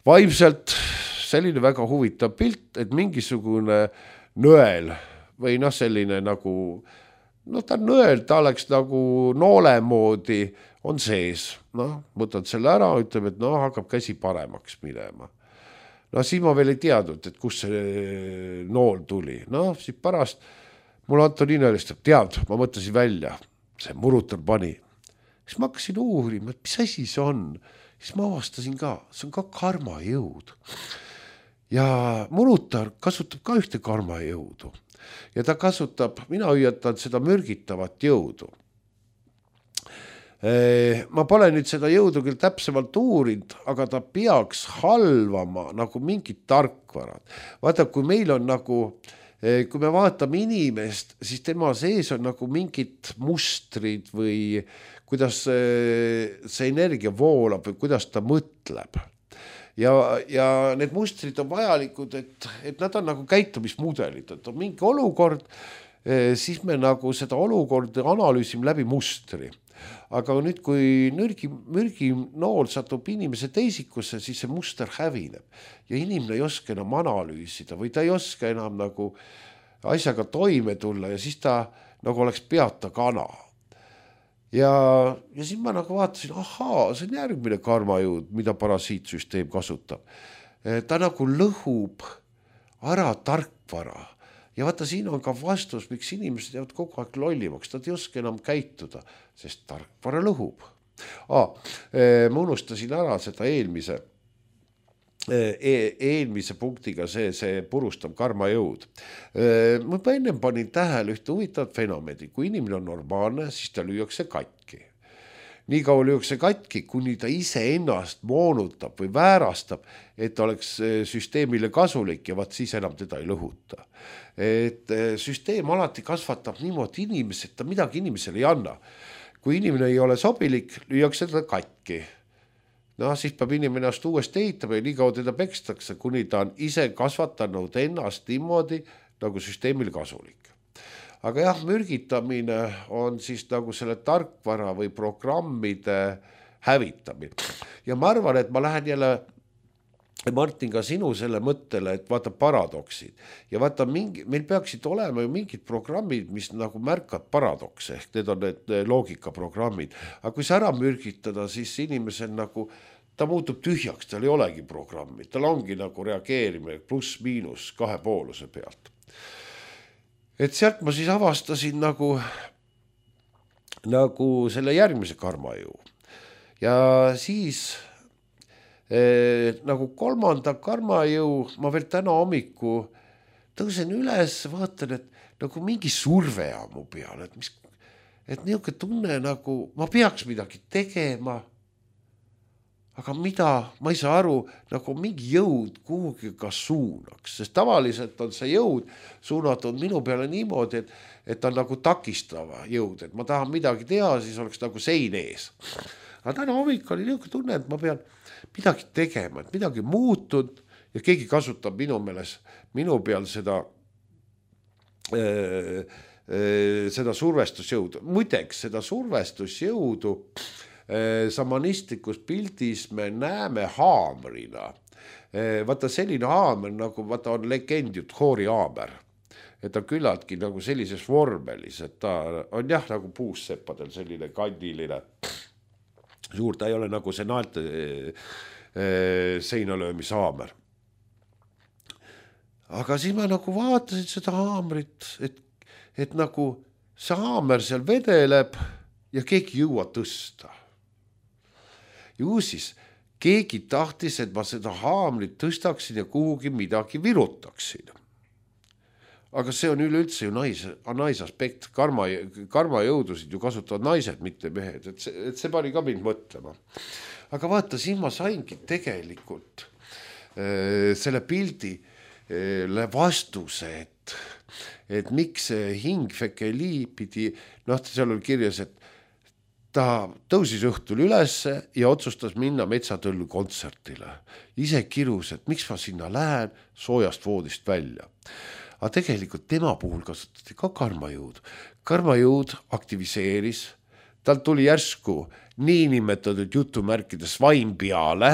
Vaimselt selline väga huvitav pilt, et mingisugune nõel või noh, selline nagu, no ta nõel, ta oleks nagu noole moodi on sees. No, võtad selle ära, ütleb, et no hakkab käsi paremaks minema. No siis ma veel ei teadnud, et kus see nool tuli. No siis pärast mul Antonina helistab, tead, ma mõtlesin välja, see murutar pani. Siis ma hakkasin uurima, et mis asi see on. Siis ma avastasin ka, see on ka karmajõud. Ja murutar kasutab ka ühte karmajõudu. Ja ta kasutab, mina hüüatan seda mürgitavat jõudu. Ma pole nüüd seda jõudu küll täpsemalt uurinud, aga ta peaks halvama nagu mingid tarkvarad. Vaata, kui meil on nagu kui me vaatame inimest, siis tema sees on nagu mingid mustrid või kuidas see energia voolab või kuidas ta mõtleb. Ja, ja need mustrid on vajalikud, et, et nad on nagu käitumismudelid, et on mingi olukord, siis me nagu seda olukorda analüüsime läbi mustri. Aga nüüd, kui nürgi, mürgi nool satub inimese teisikusse, siis see muster hävineb. Ja inimene ei oska enam analüüsida või ta ei oska enam nagu asjaga toime tulla ja siis ta nagu oleks peata kana. Ja, ja siis ma nagu vaatasin, ahaa, see on järgmine karmajõud, mida parasiitsüsteem kasutab. Ta nagu lõhub ära tarkvara. Ja vaata, siin on ka vastus, miks inimesed jäävad kogu aeg lollimaks. Nad ei oska enam käituda, sest tarkvara lõhub. Ah, ma unustasin ära seda eelmise, eelmise punktiga see, see purustav karmajõud. Ma ennem panin tähele ühte huvitavat fenomeni. Kui inimene on normaalne, siis ta lüüakse katki. Nii kaua lüüakse katki, kuni ta ise ennast moonutab või väärastab, et oleks süsteemile kasulik ja vaat siis enam teda ei lõhuta. Et süsteem alati kasvatab niimoodi inimesed, ta midagi inimesele ei anna. Kui inimene ei ole sobilik, lüüakse teda katki. No siis peab inimene ennast uuesti ehitama ja nii kaua teda pekstakse, kuni ta on ise kasvatanud ennast niimoodi, nagu süsteemile kasulik. Aga jah, mürgitamine on siis nagu selle tarkvara või programmide hävitamine. Ja ma arvan, et ma lähen jälle, Martin, ka sinu selle mõttele, et vaata paradoksid. Ja vaata, mingi, meil peaksid olema ju mingid programmid, mis nagu märkad paradokse, ehk need on need loogikaprogrammid. Aga kui sa ära mürgitada, siis inimesel nagu, ta muutub tühjaks, tal ei olegi programmi. Tal ongi nagu reageerimine pluss-miinus kahe pooluse pealt. Et sealt ma siis avastasin nagu, nagu selle järgmise karmajõu. Ja siis eh, nagu kolmanda karmajõu ma veel täna hommiku tõusen üles, vaatan, et nagu mingi surve on mu peal, et, mis, et niisugune tunne nagu ma peaks midagi tegema, aga mida, ma ei saa aru, nagu mingi jõud kuhugi ka suunaks, sest tavaliselt on see jõud suunatud minu peale niimoodi, et, et ta on nagu takistava jõud, et ma tahan midagi teha, siis oleks nagu sein ees. Aga täna hommik oli niisugune tunne, et ma pean midagi tegema, et midagi muutud ja keegi kasutab minu meeles, minu peal seda, äh, äh, seda survestusjõudu. Muideks, seda survestusjõudu samanistlikus pildis me näeme haamrina. Vaata selline haamer, nagu vaata on legend ju Thori haamer. Et ta küllaltki nagu sellises vormelis, et ta on jah nagu puusseppadel selline kandiline. suur, ta ei ole nagu see naelte seinalöömishaamer. Aga siis ma nagu vaatasin seda haamrit, et, et nagu see haamer seal vedeleb ja keegi ei jõua tõsta. Ju siis keegi tahtis, et ma seda haamrit tõstaksin ja kuhugi midagi virutaksin. Aga see on üleüldse ju nais, naisaspekt, karma, karmajõudusid ju kasutavad naised, mitte mehed, et see, et see pani ka mind mõtlema. Aga vaata, siin ma saingi tegelikult äh, selle pildi äh, vastuse, et, et miks see hing Fekeli pidi, noh, seal oli kirjas, et ta tõusis õhtul ülesse ja otsustas minna Metsatõllu kontsertile. Ise kirus, et miks ma sinna lähen soojast voodist välja. Aga tegelikult tema puhul kasutati ka karmajõud. Karmajõud aktiviseeris, tal tuli järsku niinimetatud jutumärkides vaim peale,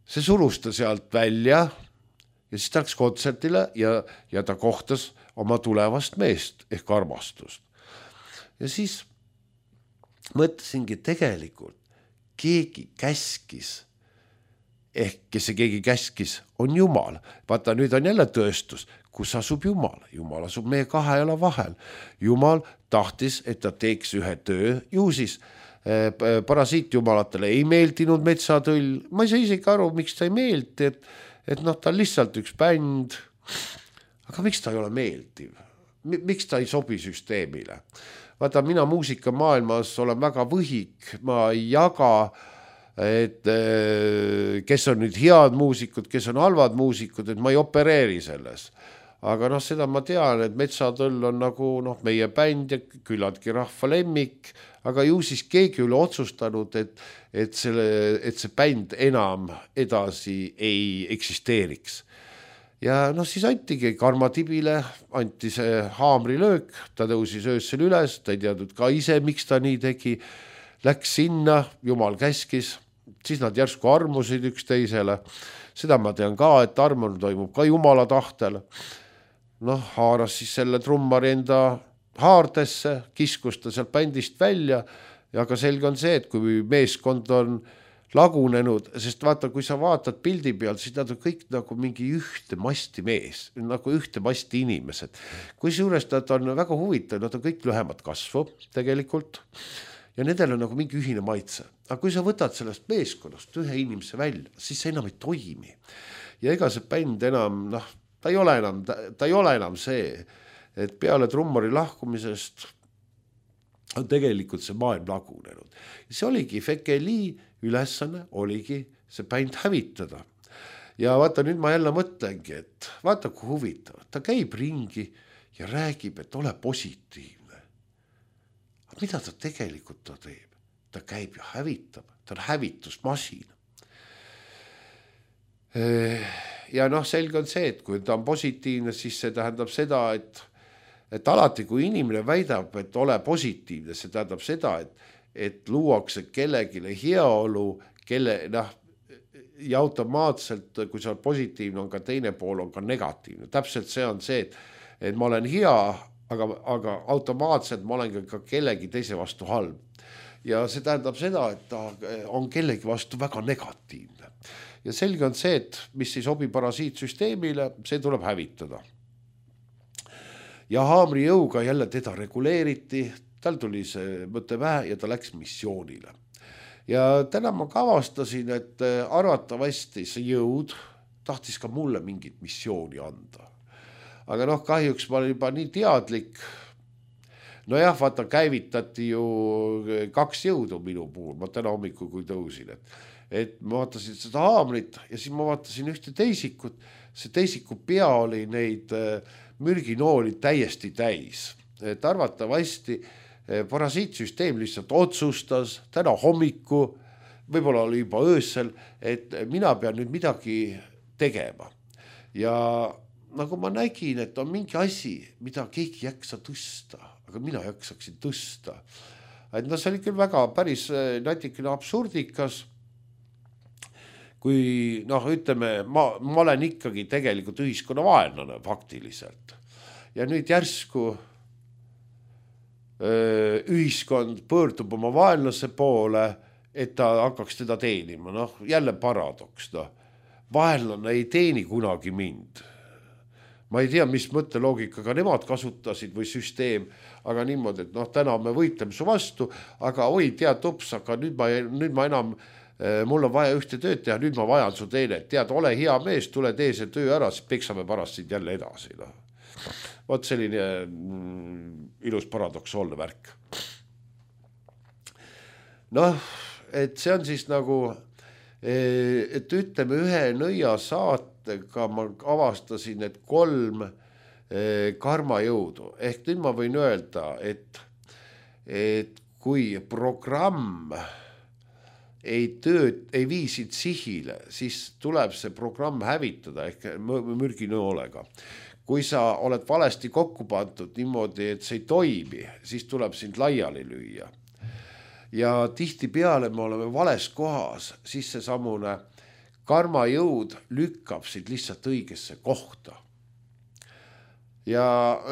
see surus ta sealt välja ja siis ta läks kontsertile ja, ja ta kohtas oma tulevast meest ehk armastust. Ja siis mõtlesingi tegelikult, keegi käskis, ehk kes see keegi käskis, on Jumal. Vaata, nüüd on jälle tõestus, kus asub Jumal. Jumal asub meie kahe jala vahel. Jumal tahtis, et ta teeks ühe töö. Ju siis eh, parasiitjumalatele ei meeldinud Metsatõll. Ma ei saa isegi aru, miks ta ei meeldi, et, et noh, ta on lihtsalt üks bänd. Aga miks ta ei ole meeldiv? Miks ta ei sobi süsteemile? Vaata, mina muusikamaailmas olen väga võhik, ma ei jaga, et kes on nüüd head muusikud, kes on halvad muusikud, et ma ei opereeri selles. Aga noh, seda ma tean, et Metsatõll on nagu noh, meie bänd ja küllaltki rahva lemmik, aga ju siis keegi üle otsustanud, et, et, selle, et see bänd enam edasi ei eksisteeriks. Ja noh, siis antigi Karma Tibile, anti see haamrilöök, ta tõusis öössel üles, ta ei teadnud ka ise, miks ta nii tegi, läks sinna, Jumal käskis, siis nad järsku armusid üksteisele. Seda ma tean ka, et armon toimub ka Jumala tahtel. Noh, haaras siis selle trummari enda haardesse, kiskus ta sealt bändist välja ja ka selge on see, et kui meeskond on lagunenud, sest vaata, kui sa vaatad pildi peal, siis nad on kõik nagu mingi ühte masti mees, nagu ühte masti inimesed. Kui suures nad on väga huvitav, nad on kõik lühemad kasvu tegelikult ja nendel on nagu mingi ühine maitse. Aga kui sa võtad sellest meeskonnast ühe inimese välja, siis see enam ei toimi. Ja ega see bänd enam, noh, ta ei ole enam, ta, ta ei ole enam see, et peale trummari lahkumisest on tegelikult see maailm lagunenud. See oligi Fekeli ülesanne, oligi see bänd hävitada. Ja vaata, nüüd ma jälle mõtlengi, et vaata, kui huvitav. Ta käib ringi ja räägib, et ole positiivne. Aga mida ta tegelikult ta teeb? Ta käib ja hävitab. Ta on hävitusmasin. Ja noh, selge on see, et kui ta on positiivne, siis see tähendab seda, et, et alati, kui inimene väidab, et ole positiivne, see tähendab seda, et, et luuakse kellegile heaolu, kelle, noh, ja automaatselt, kui sa oled positiivne, on ka teine pool on ka negatiivne. Täpselt see on see, et, et ma olen hea, aga, aga automaatselt ma olen ka kellegi teise vastu halb. Ja see tähendab seda, et ta on kellegi vastu väga negatiivne. Ja selge on see, et mis ei sobi parasiitsüsteemile, see tuleb hävitada. Ja haamri jõuga jälle teda reguleeriti, tal tuli see mõte vähe ja ta läks missioonile. Ja täna ma kavastasin, et arvatavasti see jõud tahtis ka mulle mingit missiooni anda. Aga noh, kahjuks ma olin juba nii teadlik. No jah, vaata, käivitati ju kaks jõudu minu puhul, ma täna hommikul kui tõusin, et, et ma vaatasin seda haamrit ja siis ma vaatasin ühte teisikut, see teisiku pea oli neid mürginooli täiesti täis, et arvatavasti parasiitsüsteem lihtsalt otsustas täna hommiku, võib-olla oli juba öösel, et mina pean nüüd midagi tegema ja nagu ma nägin, et on mingi asi, mida keegi jaksa tõsta, aga mina jaksaksin tõsta. Et no see oli küll väga päris natikene absurdikas, kui noh, ütleme, ma, ma olen ikkagi tegelikult ühiskonna vaenlane faktiliselt. Ja nüüd järsku ühiskond pöördub oma vaenlase poole, et ta hakkaks teda teenima. Noh, jälle paradoks. No. Vaenlane ei teeni kunagi mind. Ma ei tea, mis mõtteloogikaga nemad kasutasid või süsteem, aga niimoodi, et noh, täna me võitleme su vastu, aga oi, tead ups, aga nüüd ma, nüüd ma enam, mul on vaja ühte tööd teha, nüüd ma vajan su teenet. Tead, ole hea mees, tule tee see töö ära, siis peksame pärast sind jälle edasi. No. Vot selline mm, ilus paradoksaalne värk. Noh, et see on siis nagu, et ütleme ühe nõia saatega ma avastasin, et kolm karmajõudu. Ehk nüüd ma võin öelda, et, et kui programm ei tööd, ei viisid sihile, siis tuleb see programm hävitada ehk mürginoolega. Kui sa oled valesti kokku pandud niimoodi, et see ei toimi, siis tuleb sind laiali lüüa. Ja tihti peale me oleme vales kohas, siis see samune karmajõud lükkab sind lihtsalt õigesse kohta. Ja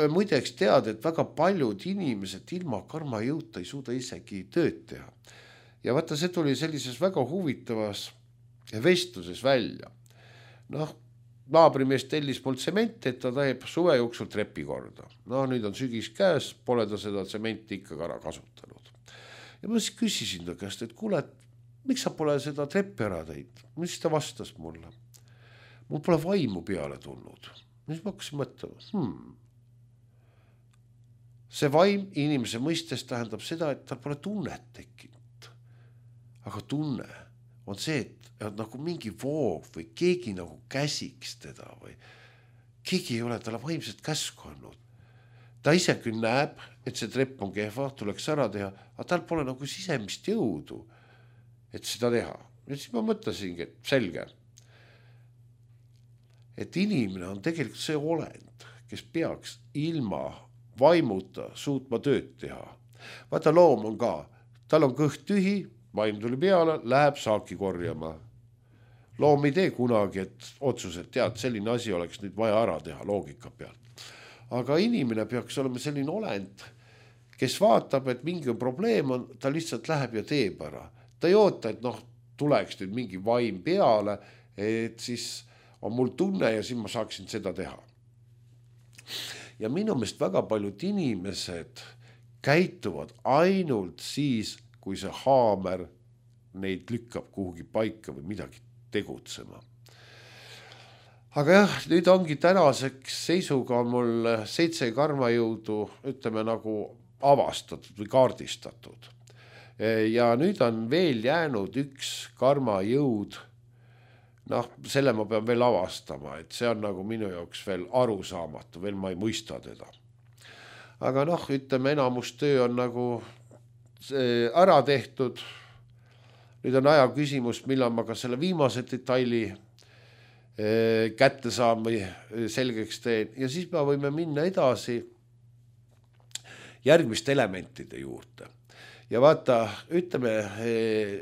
muideks tead, et väga paljud inimesed ilma karmajõuta ei suuda isegi tööd teha. Ja vaata, see tuli sellises väga huvitavas vestluses välja. Noh, naabrimees tellis mul tsementi, et ta teeb suve jooksul trepi korda. No nüüd on sügis käes, pole ta seda tsementi ikka ära kasutanud. Ja ma siis küsisin ta käest, et kuule, miks sa pole seda treppi ära teid? Mis ta vastas mulle? Mul pole vaimu peale tulnud. Mis ma hakkasin mõtlema? Hmm. See vaim inimese mõistes tähendab seda, et tal pole tunnet tekkinud. Aga tunne on see, et on nagu mingi voog või keegi nagu käsiks teda või keegi ei ole talle vaimselt käsku andnud. Ta ise küll näeb, et see trepp on kehva, tuleks ära teha, aga tal pole nagu sisemist jõudu, et seda teha. Ja siis ma mõtlesingi, et selge, et inimene on tegelikult see olend, kes peaks ilma vaimuta suutma tööd teha. Vaata, loom on ka, tal on kõht tühi, vaim tuli peale, läheb saaki korjama. Loom ei tee kunagi, et otsused, tead, selline asi oleks nüüd vaja ära teha loogika pealt. Aga inimene peaks olema selline olend, kes vaatab, et mingi probleem on, ta lihtsalt läheb ja teeb ära. Ta ei oota, et noh, tuleks nüüd mingi vaim peale, et siis on mul tunne ja siis ma saaksin seda teha. Ja minu meelest väga paljud inimesed käituvad ainult siis, kui see haamer neid lükkab kuhugi paika või midagi tegutsema. Aga jah, nüüd ongi tänaseks seisuga mul seitse karmajõudu, ütleme nagu avastatud või kaardistatud. Ja nüüd on veel jäänud üks karmajõud, noh, selle ma pean veel avastama, et see on nagu minu jaoks veel arusaamatu, veel ma ei mõista teda. Aga noh, ütleme, enamus töö on nagu ära tehtud. Nüüd on aja küsimus, millal ma ka selle viimase detaili kätte saan või selgeks teen. Ja siis me võime minna edasi järgmiste elementide juurde. Ja vaata, ütleme,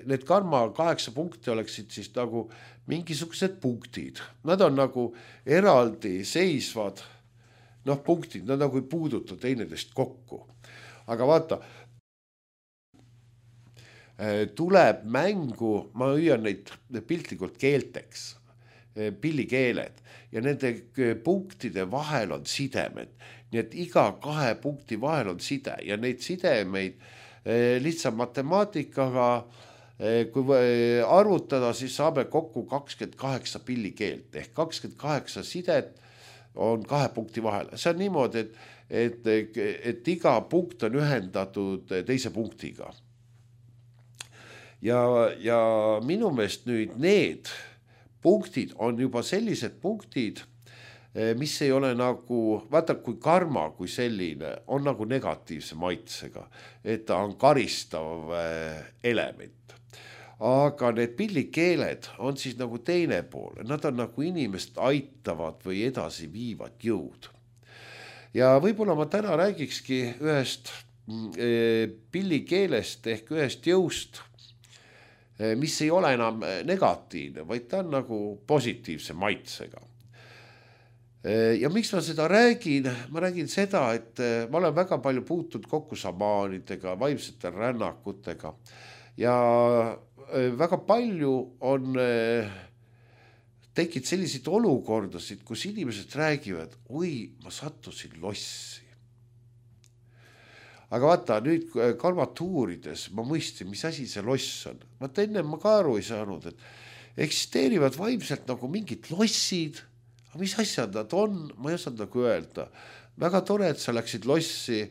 need karma kaheksa punkti oleksid siis nagu mingisugused punktid. Nad on nagu eraldi seisvad, noh, punktid, nad nagu ei puuduta teineteist kokku. Aga vaata, tuleb mängu, ma hüüan neid piltlikult keelteks, pillikeeled, ja nende punktide vahel on sidemed. Nii et iga kahe punkti vahel on side ja neid sidemeid lihtsalt matemaatikaga, kui arvutada, siis saame kokku kakskümmend kaheksa pillikeelt ehk kakskümmend kaheksa sidet on kahe punkti vahel. See on niimoodi, et, et, et iga punkt on ühendatud teise punktiga. Ja, ja minu meelest nüüd need punktid on juba sellised punktid, mis ei ole nagu, vaata kui karma kui selline on nagu negatiivse maitsega, et ta on karistav element. Aga need pillikeeled on siis nagu teine pool, nad on nagu inimest aitavad või edasi viivad jõud. Ja võib-olla ma täna räägikski ühest pillikeelest ehk ühest jõust, mis ei ole enam negatiivne, vaid ta on nagu positiivse maitsega. ja miks ma seda räägin, ma räägin seda, et ma olen väga palju puutunud kokku šamaanidega, vaimsete rännakutega ja väga palju on tekkinud selliseid olukordasid, kus inimesed räägivad, oi, ma sattusin lossi. Aga vaata, nüüd karmatuurides ma mõistsin, mis asi see loss on. Vaata, enne ma ka aru ei saanud, et eksisteerivad vaimselt nagu mingid lossid. Aga mis asjad nad on, ma ei osanud nagu öelda. Väga tore, et sa läksid lossi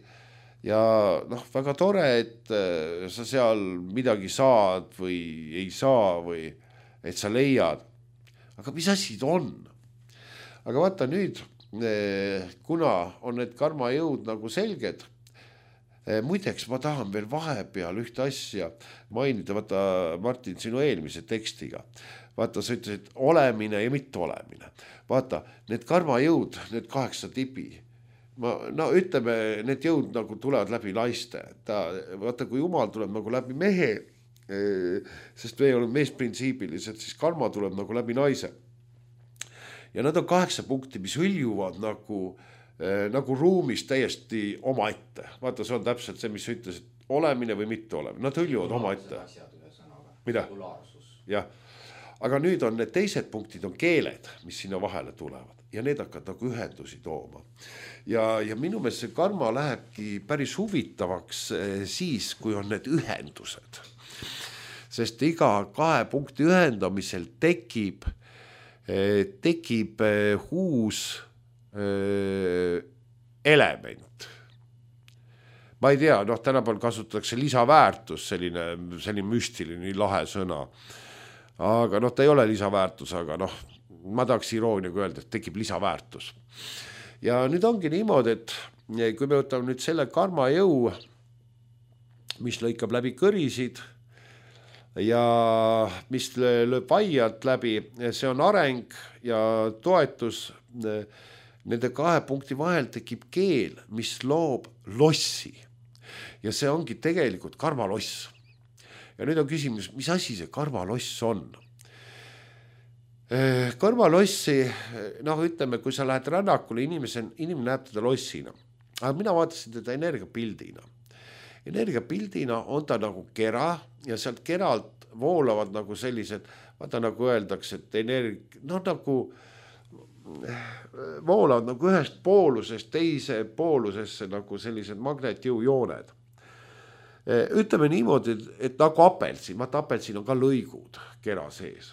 ja noh, väga tore, et sa seal midagi saad või ei saa või et sa leiad. Aga mis asjad on? Aga vaata nüüd, kuna on need karmajõud nagu selged, muideks ma tahan veel vahepeal ühte asja mainida, vaata Martin, sinu eelmise tekstiga. Vaata, sa ütlesid olemine ja mitte olemine. Vaata, need karmajõud, need kaheksa tipi, ma, no ütleme, need jõud nagu tulevad läbi naiste. Ta, vaata, kui Jumal tuleb nagu läbi mehe, sest me oleme meesprintsiibilised, siis karma tuleb nagu läbi naise. Ja nad on kaheksa punkti, mis hõljuvad nagu, nagu ruumis täiesti oma ette. Vaata, see on täpselt see, mis sa ütlesid, olemine või mitte olemine. Nad hõljuvad oma ette. Mida? Jah. Aga nüüd on need teised punktid on keeled, mis sinna vahele tulevad ja need hakkavad nagu ühendusi tooma. Ja, ja minu meelest see karma lähebki päris huvitavaks siis, kui on need ühendused. Sest iga kahe punkti ühendamisel tekib, tekib uus element. Ma ei tea, noh, tänapäeval kasutatakse lisaväärtus, selline, selline müstiline lahe sõna. Aga noh, ta ei ole lisaväärtus, aga noh, ma tahaks irooniaga öelda, et tekib lisaväärtus. Ja nüüd ongi niimoodi, et kui me võtame nüüd selle karmajõu, mis lõikab läbi kõrisid ja mis lööb vaiad läbi, see on areng ja toetus. Nende kahe punkti vahel tekib keel, mis loob lossi ja see ongi tegelikult karmaloss. Ja nüüd on küsimus, mis asi see karmaloss on? Karmalossi, noh ütleme, kui sa lähed rännakule, inimese, inimene näeb teda lossina. Aga mina vaatasin teda energiapildina. Energiapildina on ta nagu kera ja sealt keralt voolavad nagu sellised, vaata nagu öeldakse, et energ, noh nagu voolavad nagu ühest poolusest teise poolusesse nagu sellised magnetjõujooned. Ütleme niimoodi, et nagu apelsin, vaata apelsin on ka lõigud kera sees.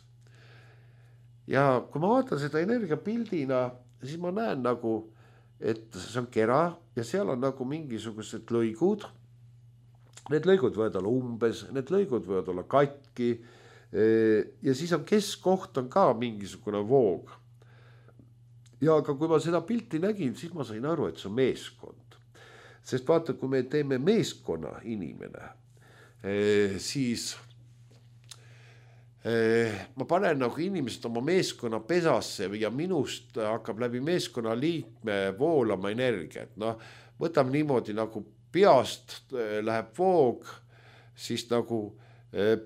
Ja kui ma vaatan seda energiapildina, siis ma näen nagu, et see on kera ja seal on nagu mingisugused lõigud. Need lõigud võivad olla umbes, need lõigud võivad olla katki ja siis on keskkoht on ka mingisugune voog. Ja aga kui ma seda pilti nägin, siis ma sain aru, et see on meeskond. Sest vaata, kui me teeme meeskonna inimene, siis ma panen nagu inimesed oma meeskonna pesasse ja minust hakkab läbi meeskonna liikme voolama energiat. No, võtame niimoodi nagu peast läheb voog, siis nagu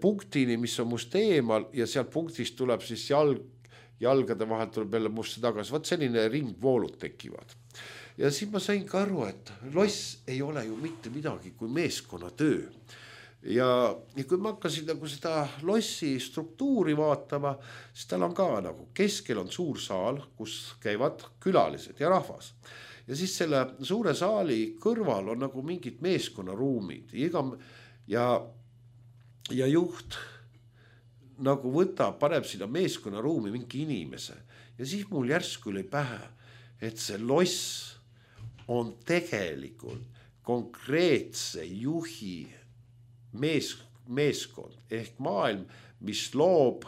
punktini, mis on must eemal ja sealt punktist tuleb siis jalg, jalgade vahelt tuleb jälle musta tagasi. Vaat selline ringvoolud tekivad. Ja siis ma sain ka aru, et loss ei ole ju mitte midagi kui meeskonna töö. Ja, ja kui ma hakkasin nagu seda lossi struktuuri vaatama, siis tal on ka nagu keskel on suur saal, kus käivad külalised ja rahvas. Ja siis selle suure saali kõrval on nagu mingid meeskonnaruumid. Ja, ja juht nagu võtab, paneb sinna meeskonnaruumi mingi inimese. Ja siis mul järsku oli pähe, et see loss on tegelikult konkreetse juhi mees, meeskond ehk maailm, mis loob,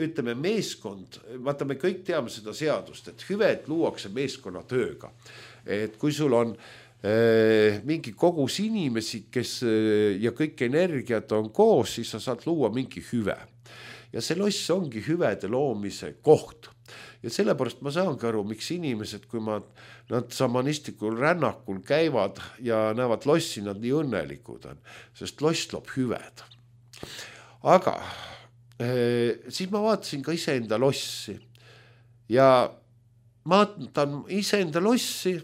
ütleme meeskond, vaata me kõik teame seda seadust, et hüved luuakse meeskonna tööga. Et kui sul on mingi kogus inimesi, kes ja kõik energiat on koos, siis sa saad luua mingi hüve. Ja see loss ongi hüvede loomise koht. Ja sellepärast ma saangi aru, miks inimesed, kui ma, nad šamanistikul rännakul käivad ja näevad lossi, nad nii õnnelikud on, sest loss loob hüved. Aga eh, siis ma vaatasin ka iseenda lossi ja vaatan iseenda lossi,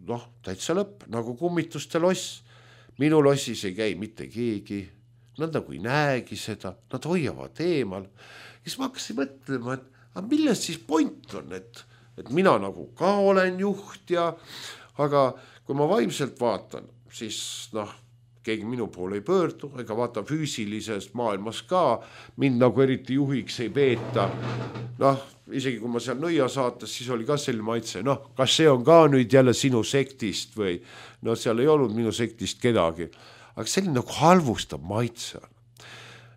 noh, täitsa lõpp, nagu kummituste loss. Minu lossis ei käi mitte keegi, nad nagu ei näegi seda, nad hoiavad eemal. Ja siis ma hakkasin mõtlema, et aga millest siis point on, et, et mina nagu ka olen juht ja, aga kui ma vaimselt vaatan, siis noh, keegi minu poole ei pöördu, ega vaata füüsilises maailmas ka, mind nagu eriti juhiks ei peeta. Noh, isegi kui ma seal nõia saates, siis oli ka selline maitse, noh, kas see on ka nüüd jälle sinu sektist või no seal ei olnud minu sektist kedagi, aga selline nagu halvustab maitse on.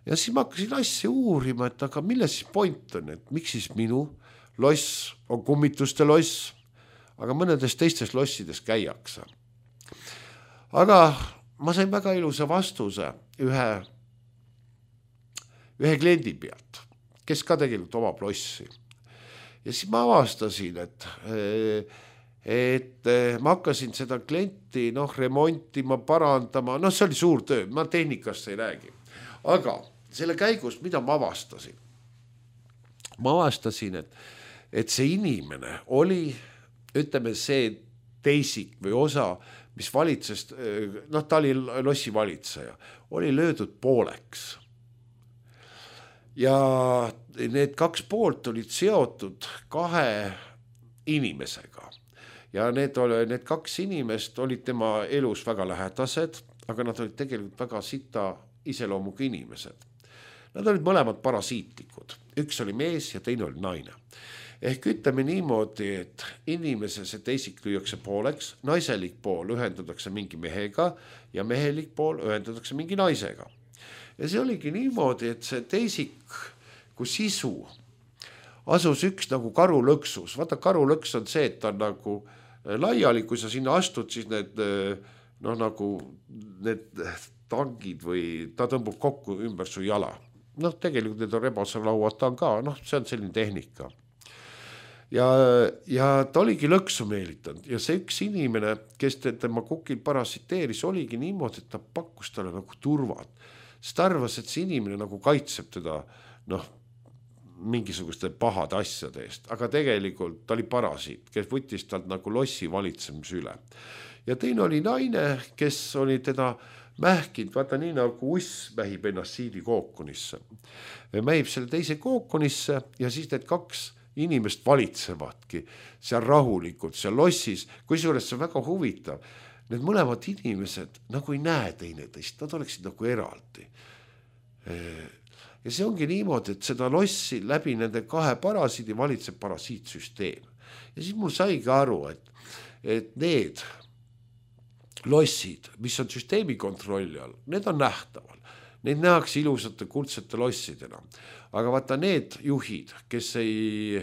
Ja siis ma hakkasin asja uurima, et aga milles siis point on, et miks siis minu loss on kummituste loss, aga mõnedes teistes lossides käiakse. Aga ma sain väga ilusa vastuse ühe, ühe kliendi pealt, kes ka tegelikult omab lossi. Ja siis ma avastasin, et, et ma hakkasin seda klienti noh, remontima, parandama, noh, see oli suur töö, ma tehnikast ei räägi. Aga selle käigus, mida ma avastasin? Ma avastasin, et, et see inimene oli, ütleme, see teisik või osa, mis valitses, noh, ta oli lossi valitseja, oli löödud pooleks. Ja need kaks poolt olid seotud kahe inimesega. Ja need, oli, need kaks inimest olid tema elus väga lähedased, aga nad olid tegelikult väga sita iseloomuga inimesed. Nad olid mõlemad parasiitlikud. Üks oli mees ja teine oli naine. Ehk ütleme niimoodi, et inimese see teisik lüüakse pooleks, naiselik pool ühendatakse mingi mehega ja mehelik pool ühendatakse mingi naisega. Ja see oligi niimoodi, et see teisik kui sisu asus üks nagu karulõksus. Vaata, karulõks on see, et ta on nagu laiali, kui sa sinna astud, siis need, noh, nagu need tangid või ta tõmbub kokku ümber su jala. Noh, tegelikult need on rebasarlauad, ta on ka, noh, see on selline tehnika. Ja, ja ta oligi lõksu meelitanud ja see üks inimene, kes tema kukil parasiteeris, oligi niimoodi, et ta pakkus talle nagu turvat. Sest ta arvas, et see inimene nagu kaitseb teda, noh, mingisuguste pahade asjade eest, aga tegelikult ta oli parasiit, kes võttis talt nagu lossi valitsemise üle. Ja teine oli naine, kes oli teda mähkinud, vaata nii nagu uss mähib ennast siidi kookonisse. Mähib selle teise kookonisse ja siis need kaks inimest valitsevadki seal rahulikult, seal lossis, kui suures see on väga huvitav. Need mõlemad inimesed nagu ei näe teineteist, nad oleksid nagu eraldi. Ja see ongi niimoodi, et seda lossi läbi nende kahe parasiidi valitseb parasiitsüsteem. Ja siis mul saigi aru, et, et need lossid, mis on süsteemi kontrolli all, need on nähtaval. Neid nähakse ilusate kuldsete lossidena. Aga vaata need juhid, kes ei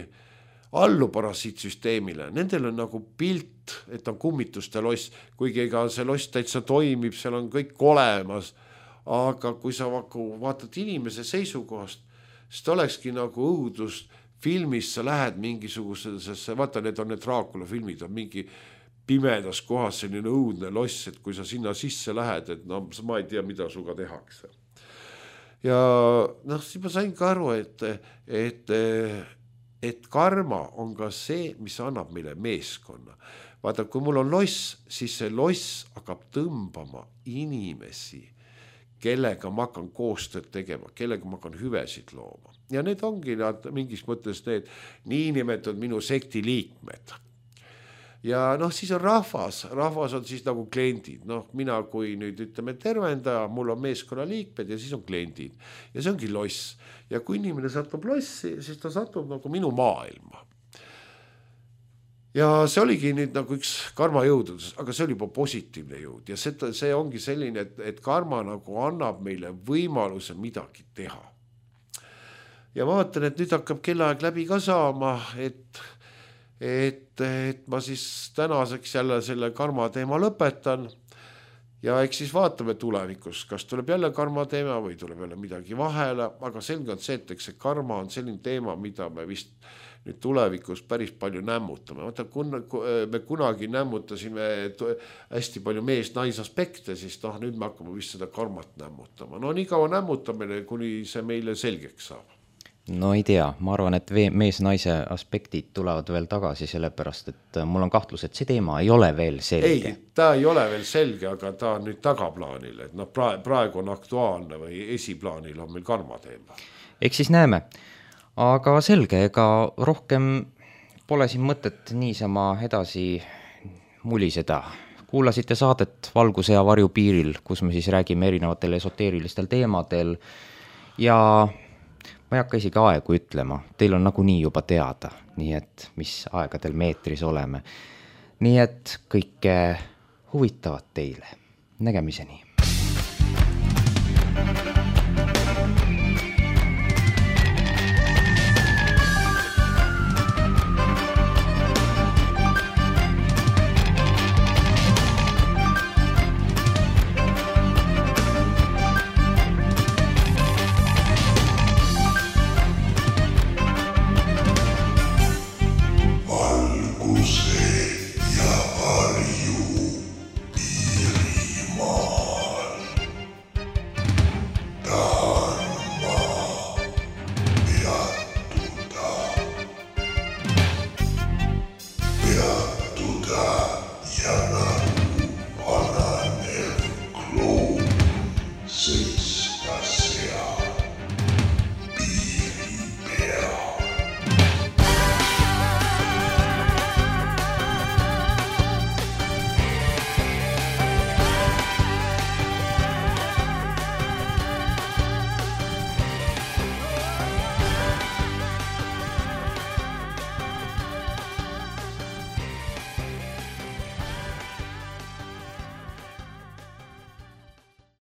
allu parasiitsüsteemile, nendel on nagu pilt, et on kummituste loss, kuigi ega see loss täitsa toimib, seal on kõik olemas. Aga kui sa vaatad inimese seisukohast, siis ta olekski nagu õudus filmis, sa lähed mingisugusesse, vaata, need on need Draakula filmid, on mingi pimedas kohas selline õudne loss, et kui sa sinna sisse lähed, et no ma ei tea, mida suga tehakse. Ja noh, siis ma sain ka aru, et, et, et karma on ka see, mis annab meile meeskonna. Vaata, kui mul on loss, siis see loss hakkab tõmbama inimesi, kellega ma hakkan koostööd tegema, kellega ma hakkan hüvesid looma. Ja need ongi nad mingis mõttes need niinimetatud minu sekti liikmed. Ja noh, siis on rahvas, rahvas on siis nagu kliendid, noh, mina kui nüüd ütleme tervendaja, mul on meeskonna liikmed ja siis on kliendid ja see ongi loss. Ja kui inimene satub lossi, siis ta satub nagu minu maailma. Ja see oligi nüüd nagu üks karma jõudus, aga see oli juba positiivne jõud ja see, see ongi selline, et, et karma nagu annab meile võimaluse midagi teha. Ja ma vaatan, et nüüd hakkab kellaaeg läbi ka saama, et Et, et ma siis tänaseks jälle selle karma teema lõpetan ja eks siis vaatame tulevikus, kas tuleb jälle karma teema või tuleb jälle midagi vahele, aga selge on see, et eks see karma on selline teema, mida me vist nüüd tulevikus päris palju nämmutame. Vaata, kun, me kunagi nämmutasime hästi palju mees-nais aspekte, siis noh, nüüd me hakkame vist seda karmat nämmutama. No nii kaua nämmutamine, kuni see meile selgeks saab. no ei tea, ma arvan, et mees-naise aspektid tulevad veel tagasi, sellepärast et mul on kahtlus, et see teema ei ole veel selge. Ei, ta ei ole veel selge, aga ta on nüüd tagaplaanil, et noh, praegu on aktuaalne või esiplaanil on meil karma teema. Eks siis näeme, aga selge, ega rohkem pole siin mõtet niisama edasi muliseda. Kuulasite saadet Valguse ja varju piiril, kus me siis räägime erinevatel esoteerilistel teemadel ja ma ei hakka isegi aegu ütlema, teil on nagunii juba teada, nii et mis aegadel meetris oleme. Nii et kõike huvitavat teile. Nägemiseni.